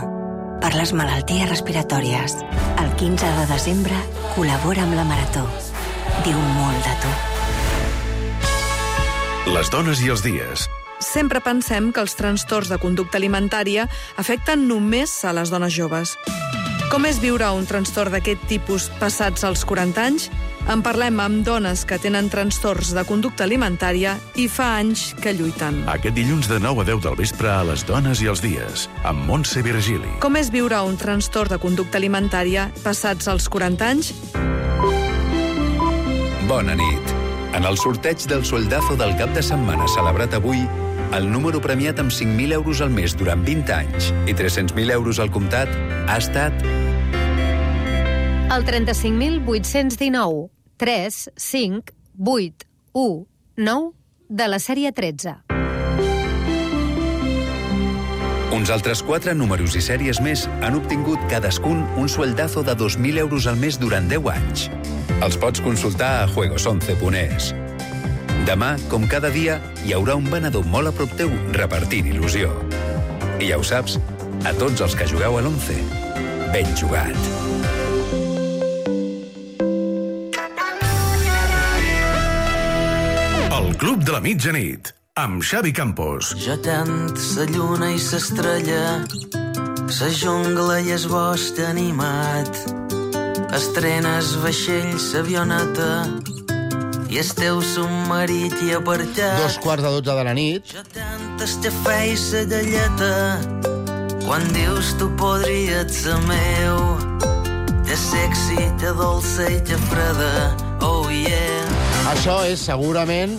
per les malalties respiratòries. El quinze de desembre col·labora amb la Marató. Diu molt de tu. Les dones i els dies. Sempre pensem que els trastorns de conducta alimentària afecten només a les dones joves. Com és viure un trastorn d'aquest tipus passats els quaranta anys? En parlem amb dones que tenen trastorns de conducta alimentària i fa anys que lluiten. Aquest dilluns de nou a deu del vespre a Les dones i els dies, amb Montse Virgili. Com és viure un trastorn de conducta alimentària passats els quaranta anys? Bona nit. En el sorteig del soldazo del cap de setmana celebrat avui, el número premiat amb cinc mil euros al mes durant vint anys i tres-cents mil euros al comptat ha estat el trenta-cinc mil vuit-cents dinou, tres, cinc, vuit, u, nou de la sèrie tretze. Uns altres quatre números i sèries més han obtingut cadascun un sueldazo de dos mil euros al mes durant deu anys. Els pots consultar a juegos once punt es. Demà, com cada dia, hi haurà un venedor molt a prop teu repartint il·lusió. I ja ho saps, a tots els que jugueu a l'once, ben jugat. El Club de la Mitjanit, amb Xavi Campos. Jo tant sa lluna i s'estrella, sa jungla i es bosc animat, estrenes vaixells, avioneta, i el teu submarit i apartat. Dos quarts de dotze de la nit. Jo tant estafè i sa galleta, quan dius tu podries ser meu, te sexy, te dolça i te freda, oh yeah. Això és segurament,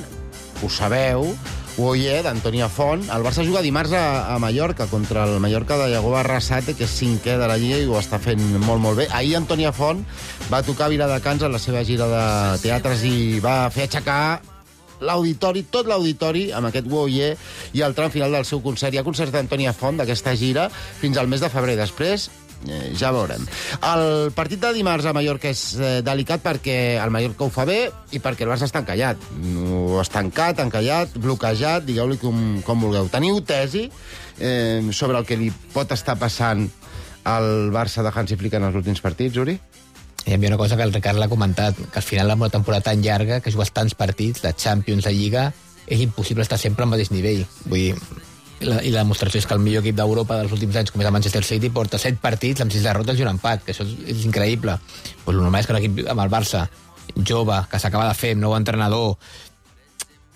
ho sabeu, Oye, d'Antònia Font. El Barça juga dimarts a, a Mallorca contra el Mallorca de Iago Arrasate, que és cinquè de la Lliga i ho està fent molt, molt bé. Ahir Antònia Font va tocar Viladecans en la seva gira de teatres i va fer aixecar l'auditori, tot l'auditori, amb aquest Oye i el tram final del seu concert. Hi ha concerts d'Antònia Font d'aquesta gira fins al mes de febrer. Després Eh, ja veurem. El partit de dimarts a Mallorca és eh, delicat perquè el Mallorca ho fa bé i perquè el Barça està encallat. No, estancat, encallat, bloquejat, digueu-li com, com vulgueu. Teniu tesi eh, sobre el que li pot estar passant al Barça de Hansi Flick en els últims partits, Uri? Hi havia una cosa que el Ricard l'ha comentat, que al final amb una temporada tan llarga, que jugues tants partits, de Champions, de Lliga, és impossible estar sempre al mateix nivell. Vull dir, La, i la demostració és que el millor equip d'Europa dels últims anys, com és el Manchester City, porta set partits amb sis derrotes i un empat, que això és, és increïble. Pues el normal és que un equip amb el Barça jove, que s'acaba de fer, amb nou entrenador,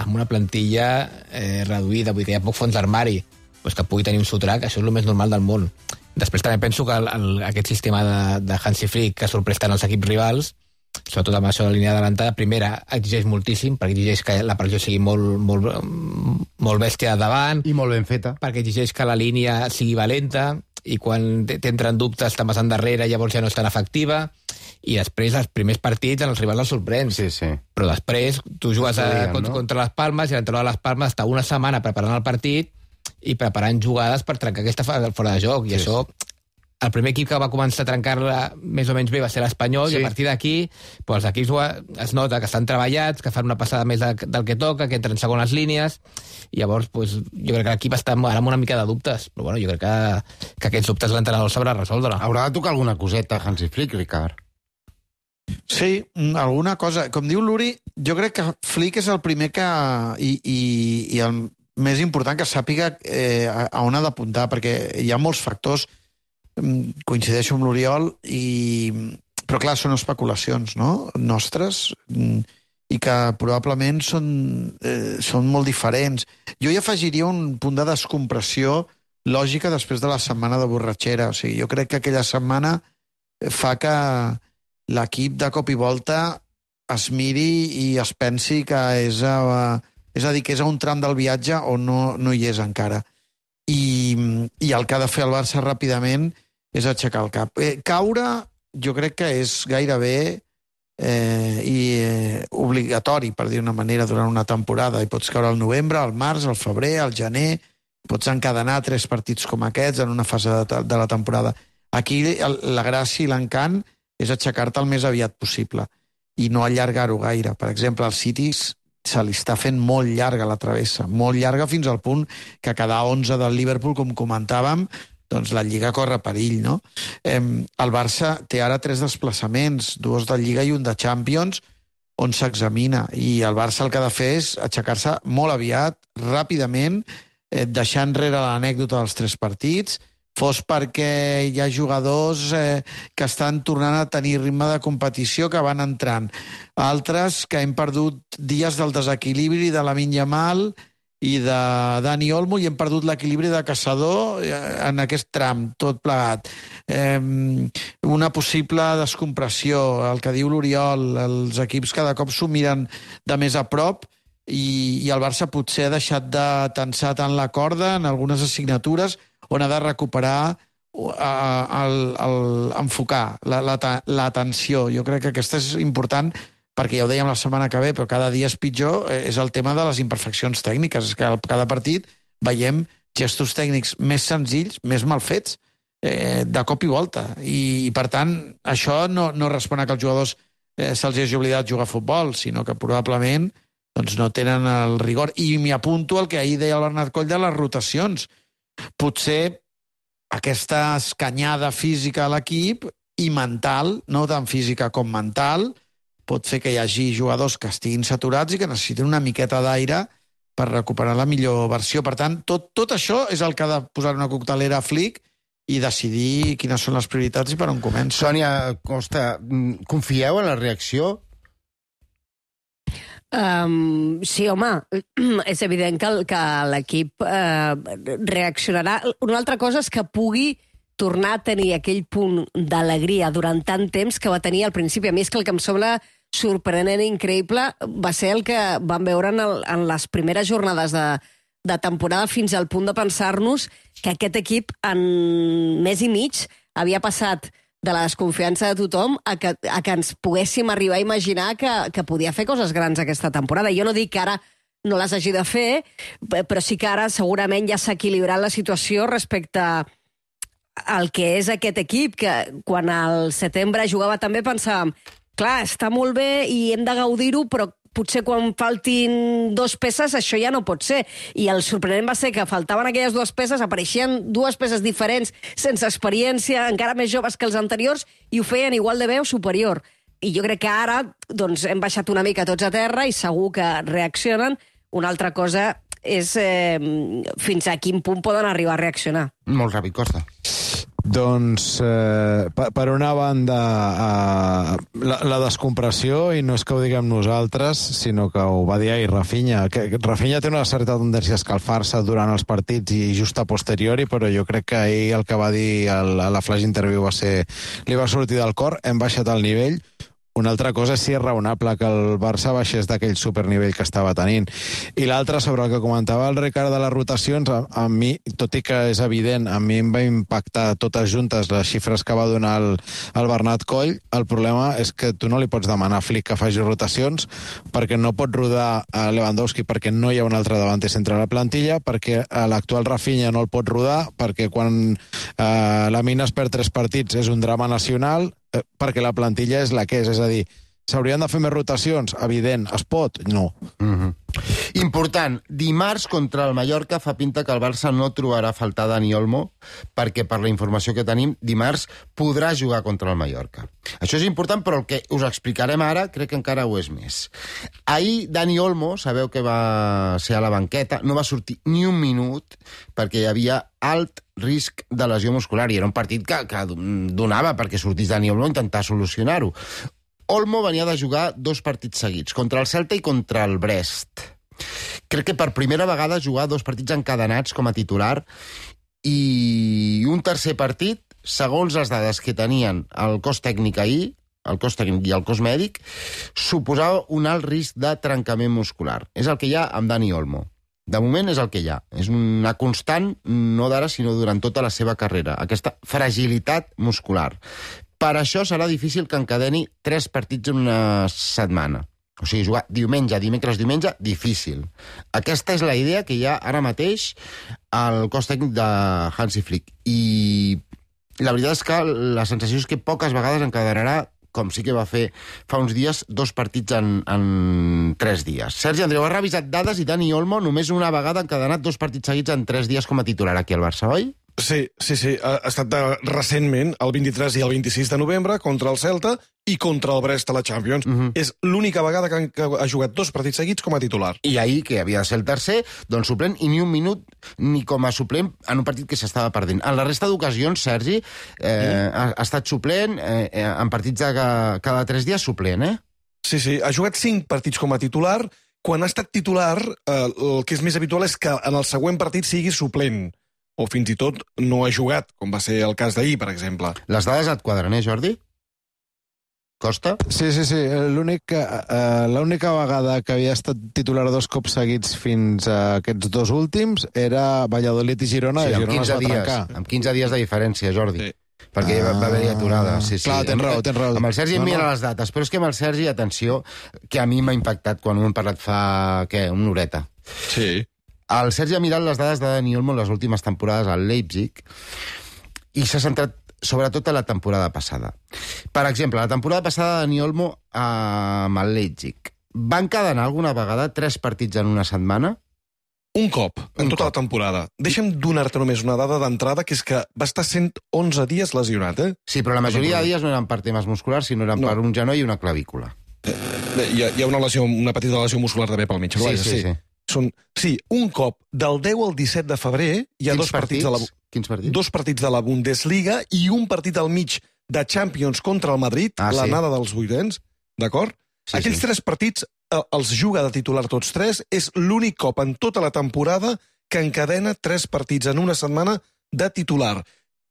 amb una plantilla eh, reduïda, vull dir que hi ha poc fons d'armari, pues que pugui tenir un sotrac, això és el més normal del món. Després també penso que el, el, aquest sistema de, de Hansi Flick, que sorprès tant els equips rivals, sobretot amb això de la línia d'adelantada, primera, exigeix moltíssim, perquè exigeix que la pressió sigui molt, molt, molt bèstia davant. I molt ben feta. Perquè exigeix que la línia sigui valenta, i quan t'entren dubtes te'n vas endarrere, llavors ja no és tan efectiva, i després els primers partits en els rivals els sorprens. Sí, sí. Però després tu jugues a, dient, contra, no? contra les Palmes, i l'entrenador de les Palmes està una setmana preparant el partit i preparant jugades per trencar aquesta fora de joc, i sí, això... El primer equip que va començar a trencar-la més o menys bé va ser l'Espanyol, sí. I a partir d'aquí pues, els equips es nota que estan treballats, que fan una passada més de, del que toca, que entren segones línies, i llavors pues, jo crec que l'equip està ara amb una mica de dubtes, però bueno, jo crec que, que aquests dubtes l'entrenador sabrà resoldre. Haurà de tocar alguna coseta Hansi Flick, Ricard? Sí, alguna cosa. Com diu l'Uri, jo crec que Flick és el primer que... i, i, i el més important que sàpiga eh, a on ha d'apuntar, perquè hi ha molts factors. Coincideixo amb l'Oriol, i... però clar, són especulacions, no?, nostres, i que probablement són, eh, són molt diferents. Jo hi afegiria un punt de descompressió lògica després de la setmana de borratxera. O sigui, jo crec que aquella setmana fa que l'equip de cop i volta es miri i es pensi que és a, és a dir, que és a un tram del viatge on no, no hi és encara. I, i el que ha de fer el Barça ràpidament és aixecar el cap. Eh, caure, jo crec que és gairebé eh, i eh, obligatori, per dir una manera, durant una temporada. I pots caure al novembre, al març, al febrer, al gener, pots encadenar tres partits com aquests en una fase de, de la temporada. Aquí el, la gràcia i l'encant és aixecar-te el més aviat possible i no allargar-ho gaire. Per exemple, al City se li està fent molt llarga la travessa, molt llarga fins al punt que cada onze del Liverpool, com comentàvem, doncs la Lliga corre perill, no? Eh, el Barça té ara tres desplaçaments, dos de Lliga i un de Champions, on s'examina, i el Barça el que ha de fer és aixecar-se molt aviat, ràpidament, eh, deixar enrere l'anècdota dels tres partits, fos perquè hi ha jugadors eh, que estan tornant a tenir ritme de competició, que van entrant. Altres que hem perdut dies del desequilibri de Lamine Yamal i de Dani Olmo, i hem perdut l'equilibri de Caçador en aquest tram, tot plegat. Eh, una possible descompressió, el que diu l'Oriol, els equips cada cop s'ho miren de més a prop, i, i el Barça potser ha deixat de tensar tant la corda en algunes assignatures on ha de recuperar el, el, enfocar la, la, la tensió. Jo crec que aquesta és important, perquè ja ho dèiem la setmana que ve, però cada dia és pitjor, és el tema de les imperfeccions tècniques. És que cada partit veiem gestos tècnics més senzills, més mal fets, eh, de cop i volta. I, i per tant, això no, no respon a que els jugadors eh, se'ls hagi oblidat jugar a futbol, sinó que probablement doncs, no tenen el rigor. I m'hi apunto el que ahir deia el Bernat Coll de les rotacions. Potser aquesta escanyada física a l'equip i mental, no tant física com mental, pot fer que hi hagi jugadors que estiguin saturats i que necessitin una miqueta d'aire per recuperar la millor versió. Per tant, tot, tot això és el que ha de posar una coctelera a Flick i decidir quines són les prioritats i per on comença. Sònia Costa, confieu en la reacció? Um, sí, home, és evident que, que l'equip uh, reaccionarà. Una altra cosa és que pugui tornar a tenir aquell punt d'alegria durant tant temps que va tenir al principi. A mi és que el que em sembla sorprenent i increïble va ser el que vam veure en, el, en les primeres jornades de, de temporada, fins al punt de pensar-nos que aquest equip en mes i mig havia passat de la desconfiança de tothom a que, a que ens poguéssim arribar a imaginar que, que podia fer coses grans aquesta temporada. Jo no dic que ara no les hagi de fer, però sí que ara segurament ja s'ha equilibrat la situació respecte al que és aquest equip, que quan al setembre jugava també pensàvem, clar, està molt bé i hem de gaudir-ho, però potser quan faltin dues peces això ja no pot ser. I el sorprenent va ser que faltaven aquelles dues peces, apareixien dues peces diferents, sense experiència, encara més joves que els anteriors, i ho feien igual de bé o superior. I jo crec que ara doncs, hem baixat una mica tots a terra i segur que reaccionen. Una altra cosa és eh, fins a quin punt poden arribar a reaccionar. Molt ràpid, Costa. Doncs, eh, per, per una banda, eh, la, la descompressió, i no és que ho diguem nosaltres, sinó que ho va dir ahir Rafinha, que Rafinha té una certa tendència a escalfar-se durant els partits i just a posteriori, però jo crec que ahir el que va dir el, a la flash interview va ser, li va sortir del cor, hem baixat el nivell. Una altra cosa és si és raonable que el Barça baixés d'aquell supernivell que estava tenint. I l'altra, sobre el que comentava el Ricard de les rotacions, a, a mi, tot i que és evident, a mi em va impactar totes juntes les xifres que va donar el, el Bernat Coll. El problema és que tu no li pots demanar a Flick que faci rotacions perquè no pot rodar a Lewandowski, perquè no hi ha un altre davanter centre a la plantilla, perquè l'actual Rafinha no el pot rodar, perquè quan eh, la Mina es perd tres partits és un drama nacional, perquè la plantilla és la que és, és a dir, s'haurien de fer més rotacions? Evident. Es pot? No. Mm-hmm. Important, dimarts contra el Mallorca fa pinta que el Barça no trobarà a faltar Dani Olmo, perquè per la informació que tenim, dimarts podrà jugar contra el Mallorca. Això és important, però el que us explicarem ara crec que encara ho és més. Ahir Dani Olmo, sabeu que va ser a la banqueta, no va sortir ni un minut perquè hi havia alt risc de lesió muscular, i era un partit que, que donava perquè sortís Dani Olmo a intentar solucionar-ho. Olmo venia de jugar dos partits seguits, contra el Celta i contra el Brest. Crec que per primera vegada jugar dos partits encadenats com a titular, i un tercer partit, segons les dades que tenien el cos tècnic ahir, el cos tècnic i el cos mèdic, suposava un alt risc de trencament muscular. És el que hi ha amb Dani Olmo. De moment és el que hi ha. És una constant, no d'ara, sinó durant tota la seva carrera. Aquesta fragilitat muscular. Per això serà difícil que encadeni tres partits en una setmana. O sigui, jugar diumenge, dimecres, diumenge, difícil. Aquesta és la idea que hi ha ara mateix al cos tècnic de Hansi Flick. I la veritat és que la sensació és que poques vegades encadenarà, com sí que va fer fa uns dies, dos partits en, en tres dies. Sergi Andreu, ha revisat dades i Dani Olmo només una vegada ha encadenat dos partits seguits en tres dies com a titular aquí al Barça, oi? Sí, sí, sí. Ha estat de, recentment, el vint-i-tres i el vint-i-sis de novembre, contra el Celta i contra el Brest a la Champions. Uh-huh. És l'única vegada que, que ha jugat dos partits seguits com a titular. I ahir, que havia de ser el tercer, doncs suplent, i ni un minut ni com a suplent en un partit que s'estava perdent. En la resta d'ocasions, Sergi, eh, uh-huh. ha, ha estat suplent, eh, en partits de cada, cada tres dies suplent, eh? Sí, sí. Ha jugat cinc partits com a titular. Quan ha estat titular, eh, el que és més habitual és que en el següent partit sigui suplent. O fins i tot no ha jugat, com va ser el cas d'ahir, per exemple. Les dades et quadren, eh, Jordi? Costa? Sí, sí, sí. L'únic, uh, l'única vegada que havia estat titular dos cops seguits fins a aquests dos últims era Valladolid i Girona. Sí, i Girona es va dies, trencar. Amb quinze dies de diferència, Jordi. Sí. Perquè ah, va haver-hi aturada. Sí, sí. Clar, tens raó, tens raó. Amb el Sergi no, em mira no. les dates, però és que amb el Sergi, atenció, que a mi m'ha impactat quan ho hem parlat fa, què, una horeta. Sí. El Sergi ha mirat les dades de Dani Olmo en les últimes temporades al Leipzig i s'ha centrat sobretot a la temporada passada. Per exemple, la temporada passada Dani Olmo amb el Leipzig va encadenar alguna vegada tres partits en una setmana? Un cop, en tota la temporada. Deixa'm donar-te només una dada d'entrada, que és que va estar cent onze dies lesionat, eh? Sí, però la majoria de dies no eren per temes musculars, sinó eren no. per un genoll i una clavícula. Hi ha, hi ha una, lesió, una petita lesió muscular també pel mig. Sí, sí, sí. sí. Són, sí, un cop, del deu al disset de febrer, hi ha Quins dos partits, partits de la, Quins partits? dos partits de la Bundesliga i un partit al mig de Champions contra el Madrid, ah, l'anada sí. dels vuitens, d'acord? Sí, Aquells sí. tres partits eh, els juga de titular tots tres, és l'únic cop en tota la temporada que encadena tres partits en una setmana de titular.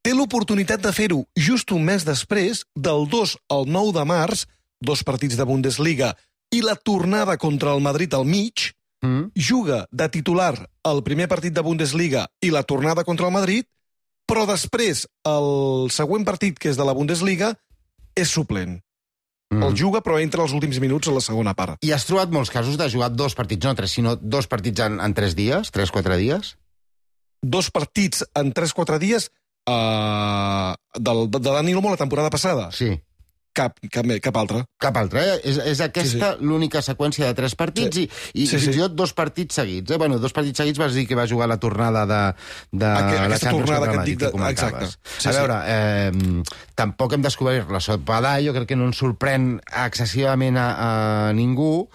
Té l'oportunitat de fer-ho just un mes després, del dos al nou de març, dos partits de Bundesliga i la tornada contra el Madrid al mig, mm. juga de titular el primer partit de Bundesliga i la tornada contra el Madrid, però després el següent partit, que és de la Bundesliga, és suplent. Mm. El juga, però entra els últims minuts a la segona part. I has trobat molts casos de jugar dos partits, no tres, sinó dos partits en, en tres dies, tres, quatre dies? Dos partits en tres, quatre dies uh, del, de Dani Olmo la temporada passada? Sí. Cap, cap, cap altre. Cap altre, eh? És, és aquesta sí, sí. l'única seqüència de tres partits sí. i, i sí, fins i sí. tot dos partits seguits. Eh? Bueno, dos partits seguits vas dir que va jugar la tornada de, de Aqu la Aquesta tornada que et dic, de... exacte. Sí, a veure, sí. eh, tampoc hem descobert la sopa d'all, jo crec que no ens sorprèn excessivament a, a ningú.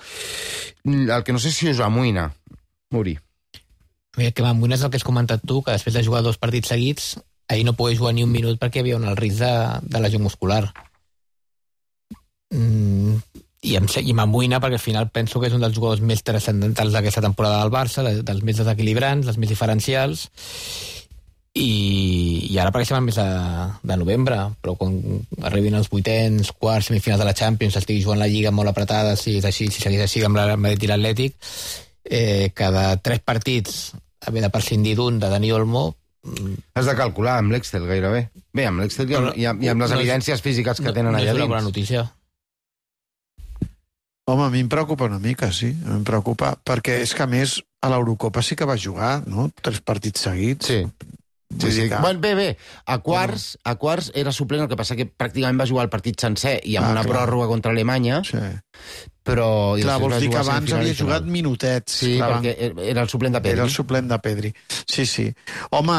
El que no sé si us amoïna, Uri. El que m'amoïna és el que has comentat tu, que després de jugar dos partits seguits, ahir no pogués jugar ni un minut perquè hi havia un risc de, de lesió muscular. Mm, i em, i m'amoïna perquè al final penso que és un dels jugadors més transcendentals d'aquesta temporada del Barça, de, dels més desequilibrants, dels més diferencials, i, i ara perquè estem al mes de, de novembre, però quan arribin els vuitens, quarts, semifinals de la Champions, estigui jugant la Lliga molt apretada, si és així, si segueix així amb el Madrid i l'Atlètic, eh, cada tres partits haver de prescindir d'un de Dani Olmo. Has de calcular amb l'Excel gairebé. Bé, amb l'Excel i, i, i amb les no, evidències físiques que no, tenen no allà dins. No és una bona notícia. Home, a mi em preocupa una mica, sí. Em preocupa, perquè és que, a més, a l'Eurocopa sí que va jugar, no? Tres partits seguits. Sí. Sí, sí. Que... Bueno, bé, bé, a quarts, a quarts era suplent, el que passa que pràcticament va jugar el partit sencer i amb ah, una clar. pròrroga contra Alemanya, sí. però... Clar, vols dir que abans havia jugat minutets. Sí, clar, perquè era el suplent de Pedri. Era el suplent de Pedri. Sí, sí. Home,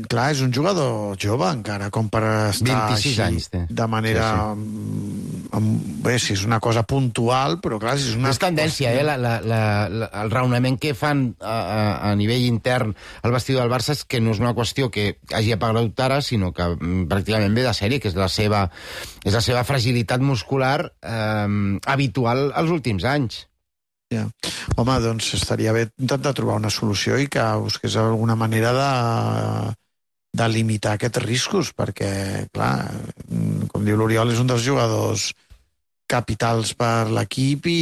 clar, és un jugador jove encara, com per estar vint-i-sis així, anys, té. de manera... Sí, sí. Amb... Bé, si és una cosa puntual, però clar, si és una... És tendència, eh? La, la, la, la, el raonament que fan a, a, a nivell intern al vestidor del Barça és que no és una qüestió que hagi aparegut ara, sinó que pràcticament ve de sèrie, que és la seva, és la seva fragilitat muscular eh, habitual als últims anys. Ja. Home, doncs estaria bé intentar trobar una solució i que busqués alguna manera de, de limitar aquests riscos, perquè, clar, com diu l'Oriol, és un dels jugadors capitals per l'equip i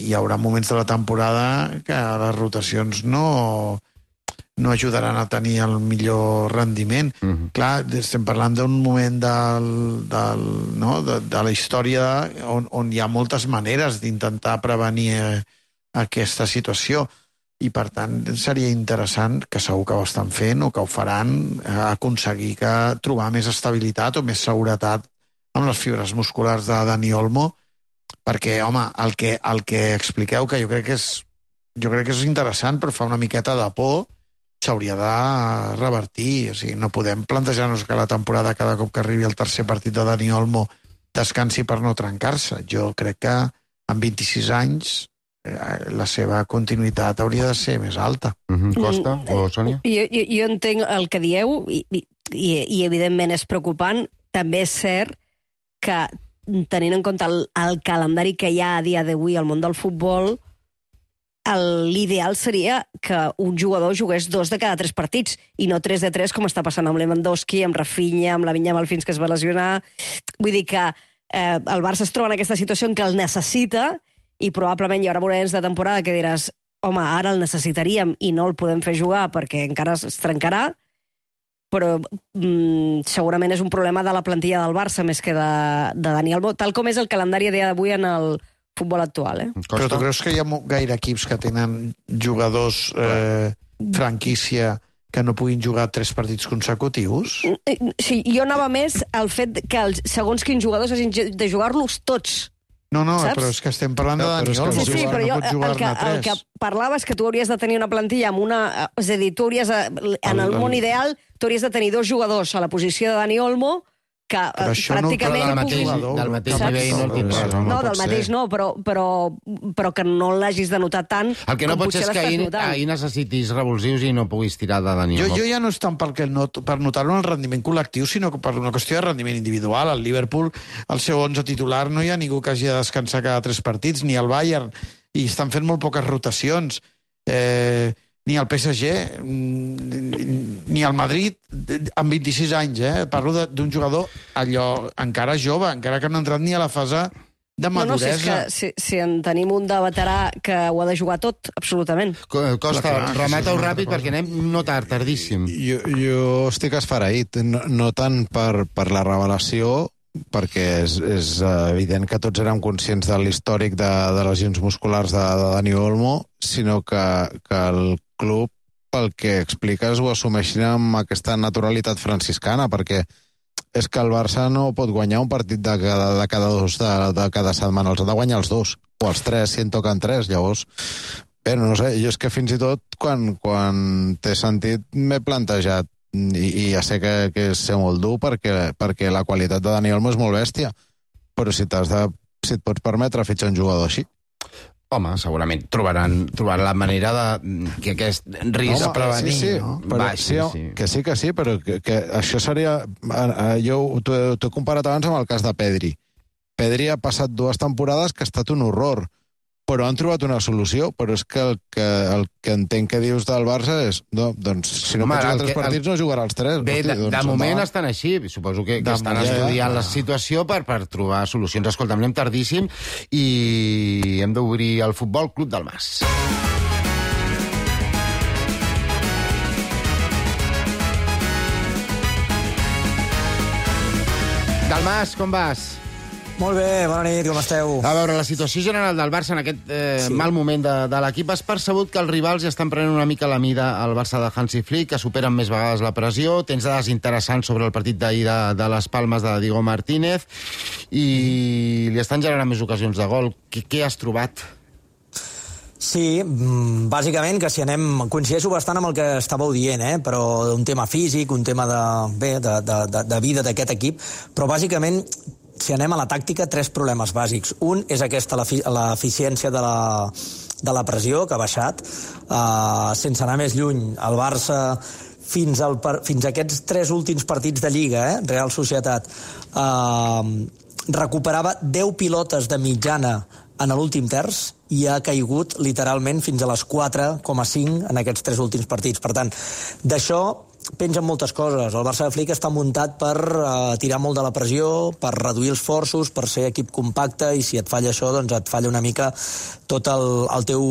hi haurà moments de la temporada que les rotacions no, no ajudaran a tenir el millor rendiment. Uh-huh. Clar, estem parlant d'un moment del, del, no? de, de la història on, on hi ha moltes maneres d'intentar prevenir aquesta situació i, per tant, seria interessant, que segur que ho estan fent o que ho faran, aconseguir que trobar més estabilitat o més seguretat amb les fibres musculars de Dani Olmo, perquè, home, el que, el que expliqueu, que jo crec que és, jo crec que és interessant, però fa una miqueta de por, s'hauria de revertir. O sigui, no podem plantejar-nos que la temporada, cada cop que arribi el tercer partit de Dani Olmo, descansi per no trencar-se. Jo crec que amb vint-i-sis anys la seva continuïtat hauria de ser més alta. Mm-hmm. Costa o Sònia? Jo, jo, jo entenc el que dieu i, i, i evidentment és preocupant. També és cert que, tenint en compte el, el calendari que hi ha a dia d'avui al món del futbol, l'ideal seria que un jugador jugués dos de cada tres partits i no tres de tres, com està passant amb Lewandowski, amb Rafinha, amb la Vinyama fins que es va lesionar. Vull dir que eh, el Barça es troba en aquesta situació en què el necessita i probablement hi haurà moments de temporada que diràs, home, ara el necessitaríem i no el podem fer jugar perquè encara es trencarà, però mm, segurament és un problema de la plantilla del Barça més que de, de Dani Olmo, tal com és el calendari a dia d'avui en el futbol actual. Eh? Però tu creus que hi ha gaire equips que tenen jugadors eh, franquícia que no puguin jugar tres partits consecutius? Sí, jo anava més al fet que els segons quins jugadors hagin de jugar-los tots. No, no, saps? però és que estem parlant de Dani Olmo. Sí, sí, però jo el que, el que parlava és que tu hauries de tenir una plantilla amb una... És a dir, tu hauries de, en el món ideal, tu hauries de tenir dos jugadors a la posició de Dani Olmo que però això pràcticament... No, del mateix, del mateix nivell no el tindràs. No, no del mateix no, però, però, però que no l'hagis de notar tant el que no com pot ser és potser que l'estàs ahir, notant. ahir necessitis revulsius i no puguis tirar de Dani Jo, Olmo. jo ja no és tant perquè no, per notar-ho en el rendiment col·lectiu, sinó que per una qüestió de rendiment individual. Al Liverpool, el seu onze titular, no hi ha ningú que hagi de descansar cada tres partits, ni al Bayern, i estan fent molt poques rotacions. Eh, ni al P S G, ni al Madrid, amb vint-i-sis anys, eh? Parlo d'un jugador allò encara jove, encara que no ha entrat ni a la fase de maduresa. No, no, si, és que, si, si en tenim un de veterà que ho ha de jugar tot, absolutament. Costa, remata-ho ràpid perquè anem no tard, tardíssim. Jo, jo estic esfereït, no, no tant per, per la revelació, perquè és, és evident que tots érem conscients de l'històric de, de lesions musculars de, de Dani Olmo, sinó que, que el club, pel que expliques, ho assumeixin amb aquesta naturalitat franciscana, perquè és que el Barça no pot guanyar un partit de cada, de cada dos de, de cada setmana, els ha de guanyar els dos, o els tres, si en toquen tres, llavors... Bé, no sé, jo és que fins i tot quan, quan t'he sentit m'he plantejat i, i ja sé que, que és ser molt dur perquè, perquè la qualitat de Dani Olmo és molt bèstia, però si, t'has de, si et pots permetre fitxar un jugador així. Home, segurament trobaran, trobaran la manera de que aquest risc... No, prevenir, sí, sí, no? Però, baix, sí, sí. Que sí, que sí, però que, que això seria... Jo t'ho he comparat abans amb el cas de Pedri. Pedri ha passat dues temporades que ha estat un horror, però han trobat una solució, però és que el que, el que entenc que dius del Barça és, no, doncs, si no Home, pots jugar tres partits, el... no jugarà els tres. Bé, hosti, de, doncs, de moment home. estan així, suposo que, que De estan moment, estudiant ja. la situació per, per trobar solucions. Escolta, anem tardíssim i hem d'obrir el Futbol Club del Mas. Del Mas, com vas? Molt bé, bona nit, com esteu? A veure, la situació general del Barça en aquest eh, Sí. mal moment de, de l'equip, has percebut que els rivals ja estan prenent una mica la mida al Barça de Hansi Flick, que superen més vegades la pressió, tens dades interessants sobre el partit d'ahir de, de les Palmes de Diego Martínez i li estan generant més ocasions de gol. Què, què has trobat? Sí, mm, bàsicament que si anem... Coincideixo bastant amb el que estàveu dient, eh? Però un tema físic, un tema de, bé, de, de, de, de vida d'aquest equip, però bàsicament si anem a la tàctica, tres problemes bàsics. Un és aquesta, l'eficiència de la, de la pressió, que ha baixat. Uh, sense anar més lluny, el Barça, fins, al, fins a aquests tres últims partits de Lliga, eh, Real Societat, uh, recuperava deu pilotes de mitjana en l'últim terç i ha caigut literalment fins a les quatre coma cinc en aquests tres últims partits. Per tant, d'això pengen moltes coses. El Barça de Flick està muntat per uh, tirar molt de la pressió, per reduir els forços, per ser equip compacte, i si et falla això, doncs et falla una mica tot el, el teu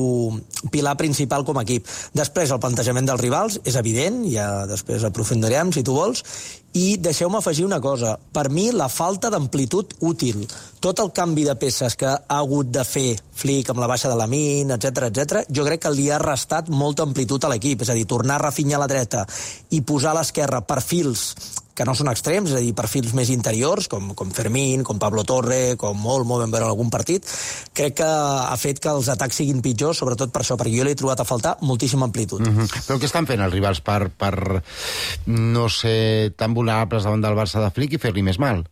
pilar principal com a equip. Després, el plantejament dels rivals és evident, ja després aprofundirem, si tu vols, i deixeu-me afegir una cosa. Per mi, la falta d'amplitud útil, tot el canvi de peces que ha hagut de fer Flick amb la baixa de Lamine, etcètera, etcètera, jo crec que li ha restat molta amplitud a l'equip. És a dir, tornar a Rafinha a la dreta i posar a l'esquerra perfils que no són extrems, és a dir, perfils més interiors, com, com Fermín, com Pablo Torre, com Olmo, vam veure en algun partit, crec que ha fet que els atacs siguin pitjors, sobretot per això, perquè jo l'he trobat a faltar moltíssima amplitud. Mm-hmm. Però què estan fent els rivals per, per no ser tan vulnerables davant del Barça de Flick i fer-li més mal?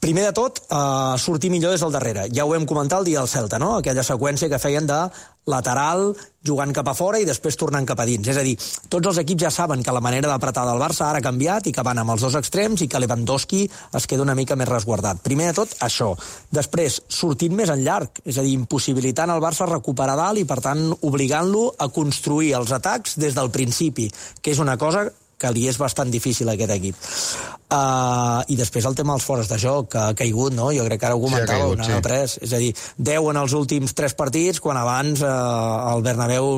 Primer de tot, uh, sortir millor des del darrere. Ja ho vam comentar el dia del Celta, no? Aquella seqüència que feien de lateral, jugant cap a fora i després tornant cap a dins. És a dir, tots els equips ja saben que la manera d'apretar del Barça ara ha canviat i que van amb els dos extrems i que Lewandowski es queda una mica més resguardat. Primer de tot, això. Després, sortint més en llarg, és a dir, impossibilitant el Barça a recuperar dalt i, per tant, obligant-lo a construir els atacs des del principi, que és una cosa que li és bastant difícil a aquest equip. Uh, I després el tema dels fores de joc, que ha caigut, no? Jo crec que ara ho comentàveu, sí, sí. tres. És a dir, deu en els últims tres partits, quan abans uh, el Bernabéu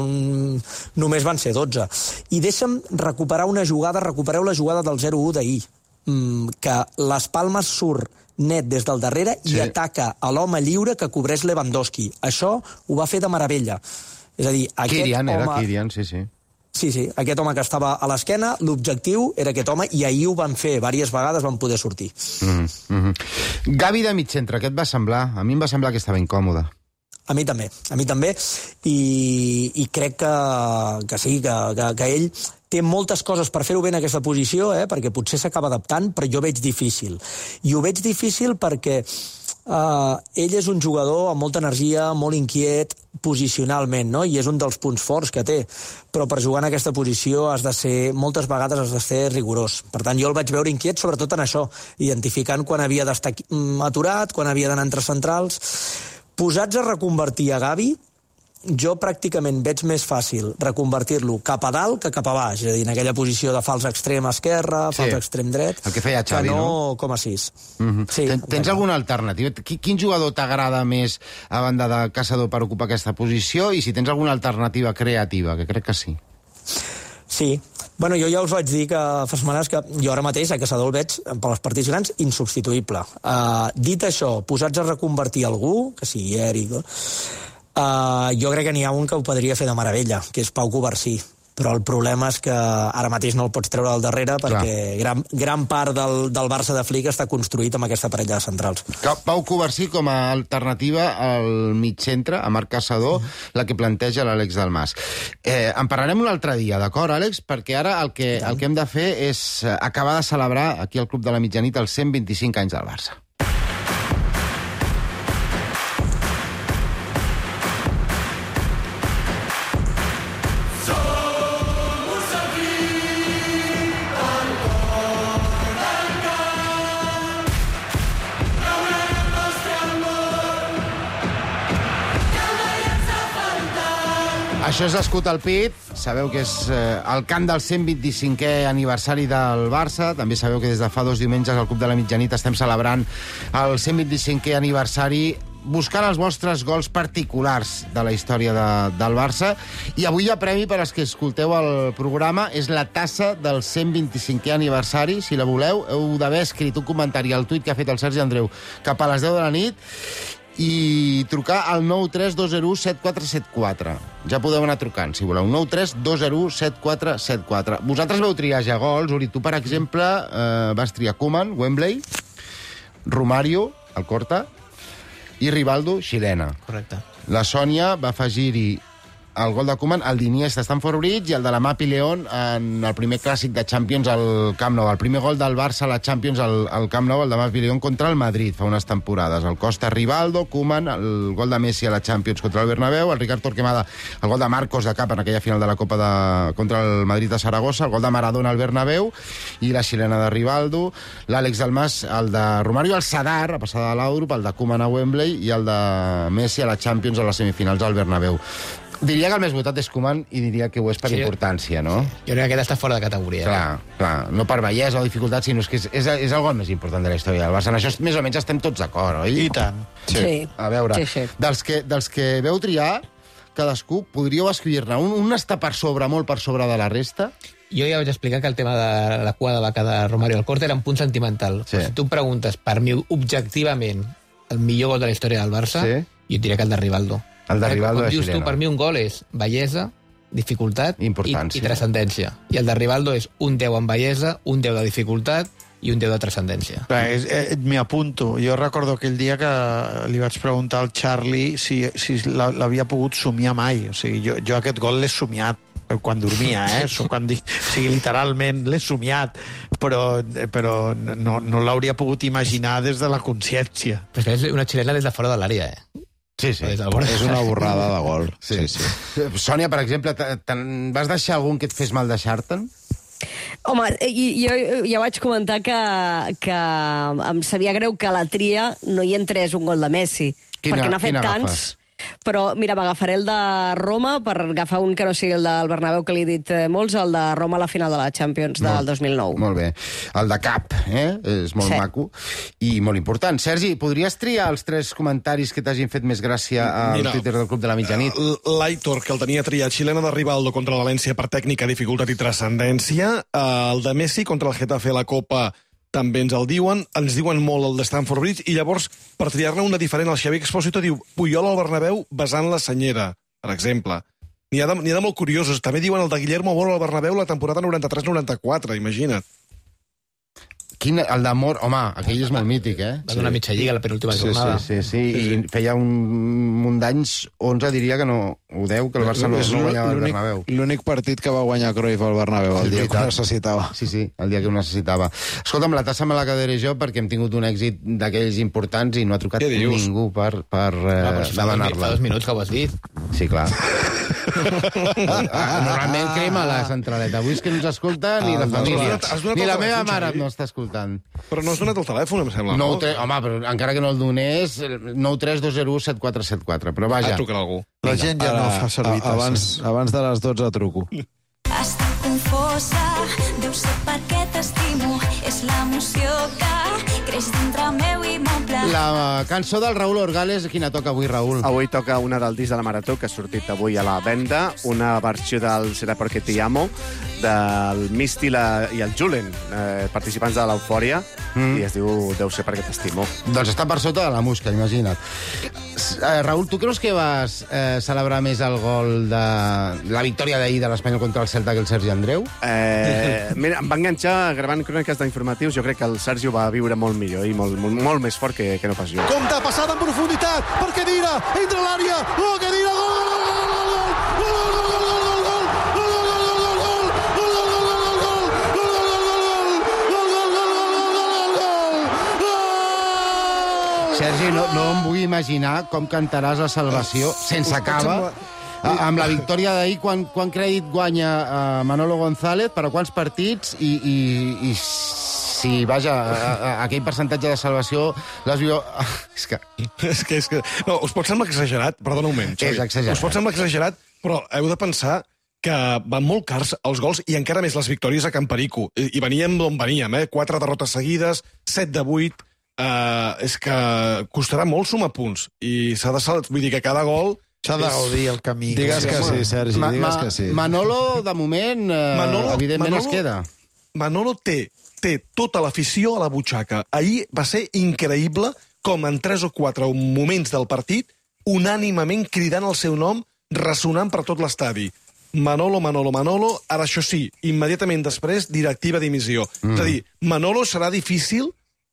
només van ser dotze. I deixa'm recuperar una jugada, recupereu la jugada del zero u d'ahir, mm, que les Palmes surt net des del darrere sí. i ataca a l'home lliure que cobreix Lewandowski. Això ho va fer de meravella. És a dir, aquest Kirian, home... era Kirian, sí, sí. Sí, sí, aquest home que estava a l'esquena, l'objectiu era aquest home, i ahir ho van fer, diverses vegades van poder sortir. Mm -hmm. Gavi de mig centre, què et va semblar? A mi em va semblar que estava incòmode. A mi també, a mi també, i, i crec que, que sí, que, que, que ell té moltes coses per fer-ho bé en aquesta posició, eh, perquè potser s'acaba adaptant, però jo veig difícil. I ho veig difícil perquè Uh, ell és un jugador amb molta energia, molt inquiet posicionalment, no? I és un dels punts forts que té, però per jugar en aquesta posició has de ser, moltes vegades has de ser rigorós. Per tant, jo el vaig veure inquiet sobretot en això, identificant quan havia d'estar aturat, quan havia d'anar entre centrals. Posats a reconvertir a Gavi, jo pràcticament veig més fàcil reconvertir-lo cap a dalt que cap a baix, és a dir, en aquella posició de fals extrem esquerra, fals sí. extrem dret, el que feia Xavi, que no, no? com a sis. Mm -hmm. sí, Ten, tens alguna alternativa? Quin jugador t'agrada més a banda de Caçador per ocupar aquesta posició, i si tens alguna alternativa creativa, que crec que sí. Sí. Bueno, jo ja us vaig dir que fa setmanes que jo ara mateix a Caçador el veig, per les partits grans, insubstituïble. Uh, dit això, posats a reconvertir algú, que sigui Eric, Uh, jo crec que n'hi ha un que ho podria fer de meravella, que és Pau Covarsí, però el problema és que ara mateix no el pots treure al darrere perquè gran, gran part del, del Barça de Flick està construït amb aquesta parella de centrals. Pau Covarsí com a alternativa al mig centre, a Marc Caçador, la que planteja l'Àlex Dalmas. Eh, en parlarem un altre dia, d'acord, Àlex? Perquè ara el que, el que hem de fer és acabar de celebrar aquí al Club de la Mitjanit els cent vint-i-cinc anys del Barça. Això és l'escut al pit, sabeu que és eh, el cant del cent vint-i-cinquè aniversari del Barça, també sabeu que des de fa dos diumenges al Club de la Mitjanit estem celebrant el cent vint-i-cinquè aniversari buscant els vostres gols particulars de la història de, del Barça, i avui hi ha premi per als que escolteu el programa, és la tassa del cent vint-i-cinquè aniversari. Si la voleu, heu d'haver escrit un comentari al tuit que ha fet el Sergi Andreu cap a les deu de la nit i trucar al nou tres dos zero set quatre set quatre. Ja podeu anar trucant, si voleu. nou tres dos zero set quatre set quatre. Vosaltres vau triar ja gols. Uri, tu, per exemple, eh, vas triar Koeman, Wembley, Romario, Alcorta, i Rivaldo, Xilena. Correcte. La Sònia va afegir-hi el gol de Koeman, el d'Iniesta a Stamford Bridge i el de la Mapi León en el primer clàssic de Champions al Camp Nou. El primer gol del Barça a la Champions al, al Camp Nou, el de Mapi León contra el Madrid fa unes temporades. El Costa Rivaldo, Koeman, el gol de Messi a la Champions contra el Bernabéu, el Ricard Torquemada, el gol de Marcos de cap en aquella final de la Copa de, contra el Madrid de Saragossa, el gol de Maradona al Bernabéu i la xilena de Rivaldo, l'Àlex Dalmas, el de Romario al Sadar, a passada de l'Europa, el de Koeman a Wembley i el de Messi a la Champions a les semifinals al Bernabéu. Diria que el més votat és Koeman i diria que ho és per sí. importància, no? Jo crec que aquest està fora de categoria. Clar, eh? clar. No per bellesa o dificultat, sinó que és, és, és el gol més important de la història del Barça. En això més o menys estem tots d'acord, oi? I tant. Sí. sí. A veure, sí, sí. Dels, que, dels que veu triar, cadascú, podríeu escriure-ne. Un, un està per sobre, molt per sobre de la resta? Jo ja vaig explicar que el tema de la cua de vaca de Romario Alcorta era un punt sentimental. Sí. Si tu em preguntes, per mi, objectivament, el millor gol de la història del Barça, sí. jo et diré que el de Rivaldo. El de Rivaldo de Xilena. Dius tu, per mi un gol és bellesa, dificultat i, i transcendència. I el de Rivaldo és un deu en bellesa, un deu de dificultat i un deu de transcendència. Eh, M'hi apunto. Jo recordo aquell dia que li vaig preguntar al Charlie si, si l'havia pogut somiar mai. O sigui, jo, jo aquest gol l'he somiat quan dormia, eh? Quan dic, o sigui, literalment l'he somiat, però, però no, no l'hauria pogut imaginar des de la consciència. Però és una xilena des de fora de l'àrea, eh? Sí, sí. És una borrada de gol. Sí, sí. sí. Sònia, per exemple, vas deixar algun que et fes mal deixar-te'n? Home, jo ja vaig comentar que, que em sabia greu que a la tria no hi entrés un gol de Messi, quina, perquè n'ha fet tants. Agafes? Però, mira, m'agafaré el de Roma per agafar un que no sigui el del Bernabéu, que li he dit molts, el de Roma a la final de la Champions del molt, dos mil nou. Molt bé. El de Cap, eh? És molt sí. maco i molt important. Sergi, podries triar els tres comentaris que t'hagin fet més gràcia al Mira, Twitter del Club de la Mitjanit? L'Aitor, que el tenia triat, xilena de Rivaldo contra el València per tècnica, dificultat i transcendència. El de Messi contra el Getafe a la Copa també ens el diuen, ens diuen molt el de Stamford Bridge, i llavors, per triar-ne una diferent, el Xavi Expósito diu Puyol al Bernabéu besant la senyera, per exemple. N'hi ha, de, n'hi ha de molt curiosos. També diuen el de Guillermo Moro al Bernabéu la temporada noranta-tres noranta-quatre, imagina't. Quin, el d'Amor, home, aquell és molt mític, eh? Va donar mitja lliga la penúltima sí, jornada. Sí, sí, sí, sí, i feia un munt d'anys, onze diria que no, o deu, que el Barça no, no guanyava el Bernabéu. L'únic partit que va guanyar Cruyff al Bernabéu, el dia que ho necessitava. Sí, sí, el dia que ho necessitava. Escolta'm, la tassa me la quedaré jo perquè hem tingut un èxit d'aquells importants i no ha trucat ningú per, per eh, ah, demanar-la. Fa dos minuts que ho has dit. Sí, clar. Normalment crema la centraleta. Avui és que no ens escolta ni la família. Ni la meva mare no està escoltant. Però no has donat el telèfon, em sembla. No, no? Home, però encara que no el donés, nou tres dos zero u set quatre set quatre. Però vaja. Ah, trucarà algú. La gent ja no fa servir tasses. Abans, abans de les dotze truco. Estic confosa, deu ser perquè t'estimo, és l'emoció que creix dintre meu i m'omple. La cançó del Raúl Orgales, quina toca avui, Raúl? Avui toca una del disc de la Marató, que ha sortit avui a la venda, una versió del Será porque te amo, del Misty la, i el Julen, eh, participants de l'Eufòria, mm. i es diu Deu ser perquè t'estimo. Doncs està per sota de la musca, imagina't. Eh, Raúl, tu creus que vas eh, celebrar més el gol de la victòria d'ahir de l'Espanyol contra el Celta que el Sergi Andreu? Eh, mira, em va enganxar gravant cròniques d'informatius. Jo crec que el Sergi ho va viure molt millor i molt, molt, molt més fort que, que no pas jo. Compte, passada en profunditat, per Khedira, entra a l'àrea, oh, Khedira, gol, gol, gol, gol, gol, gol, gol, gol, Sergi, no, no em vull imaginar com cantaràs la salvació sense cava amb la victòria d'ahir. Quan, quan crèdit guanya uh, Manolo González, per a quants partits i, i, i si, vaja, a, a, aquell percentatge de salvació l'has viu... És que... és que, és que... No, us pot semblar exagerat, perdona un moment, Xavi. És exagerat. Us pot semblar exagerat, però heu de pensar que van molt cars els gols i encara més les victòries a Can Perico. I, i veníem d'on veníem, eh? Quatre derrotes seguides, set de vuit... Uh, és que costarà molt sumar punts i s'ha de saber, vull dir que cada gol s'ha de gaudir el camí. Digues que sí, Sergi, ma, digues ma, que sí. Manolo, de moment, uh, Manolo, evidentment Manolo, es queda. Manolo té, té tota l'afició a la butxaca. Ahir va ser increïble com en tres o quatre moments del partit unànimament cridant el seu nom, ressonant per tot l'estadi. Manolo, Manolo, Manolo, ara això sí, immediatament després, directiva dimissió. Mm. És a dir, Manolo serà difícil.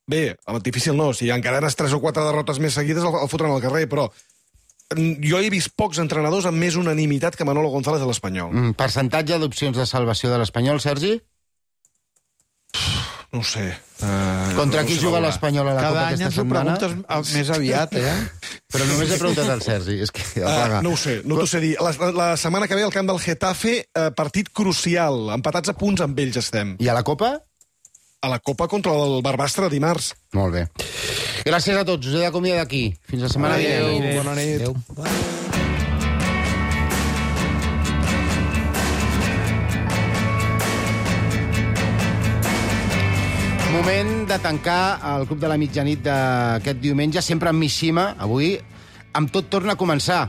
Bé, difícil no, si encara eres tres o quatre derrotes més seguides el, el fotran al carrer, però jo he vist pocs entrenadors amb més unanimitat que Manolo González de l'Espanyol. Mm, percentatge d'opcions de salvació de l'Espanyol, Sergi? No ho sé. Uh, Contra no qui sé juga l'Espanyol a la Cada Copa aquesta setmana? Cada any ens ho preguntes més aviat, eh? Però només he preguntat al Sergi. És que, uh, no ho sé, no t'ho sé dir. La, la setmana que ve al camp del Getafe, uh, partit crucial. Empatats a punts amb ells estem. I a la Copa? A la Copa contra el Barbastre dimarts. Molt bé. Gràcies a tots. Us he d'acomiadar d'aquí. Fins la setmana vinent. Adéu. Bona nit. Adéu. Moment de tancar el Club de la Mitjanit d'aquest diumenge, sempre amb Mishima. Avui, amb tot torna a començar.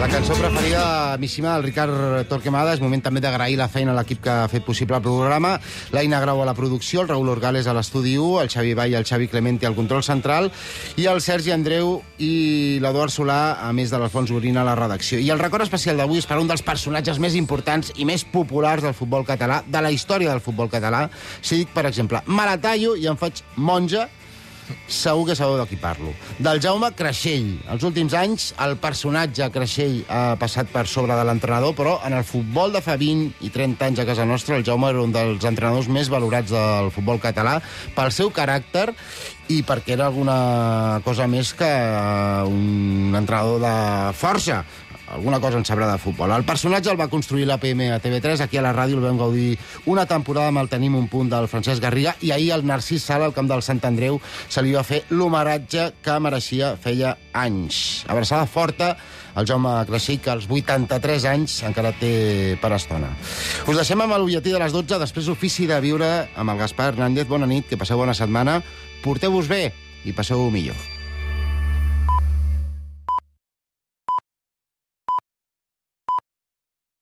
La cançó preferida de Mishima del Ricard Torquemada. És moment també d'agrair la feina a l'equip que ha fet possible el programa. L'Aina Grau a la producció, el Raúl Orgales a l'estudi u, el Xavi Vall i el Xavi Clemente al control central i el Sergi Andreu i l'Eduard Solà, a més de l'Alfons Gorina, a la redacció. I el record especial d'avui és per un dels personatges més importants i més populars del futbol català, de la història del futbol català. Si dic, per exemple, me la tallo i em faig monja, segur que sabeu de qui parlo. Del Jaume Creixell. Els últims anys el personatge Creixell ha passat per sobre de l'entrenador, però en el futbol de fa vint i trenta anys a casa nostra el Jaume era un dels entrenadors més valorats del futbol català pel seu caràcter i perquè era alguna cosa més que un entrenador de força. Alguna cosa en sabrà de futbol. El personatge el va construir l'A P M a T V tres, aquí a la ràdio el vam gaudir una temporada amb el Tenim un punt del Francesc Garriga, i ahir el Narcís Sala, al camp del Sant Andreu, se li va fer l'homenatge que mereixia feia anys. Abraçada forta al Jaume Creixell, que als vuitanta-tres anys encara té per estona. Us deixem amb el butlletí de les dotze, després ofici de viure amb el Gaspar Hernández. Bona nit, que passeu bona setmana, porteu-vos bé i passeu-ho millor.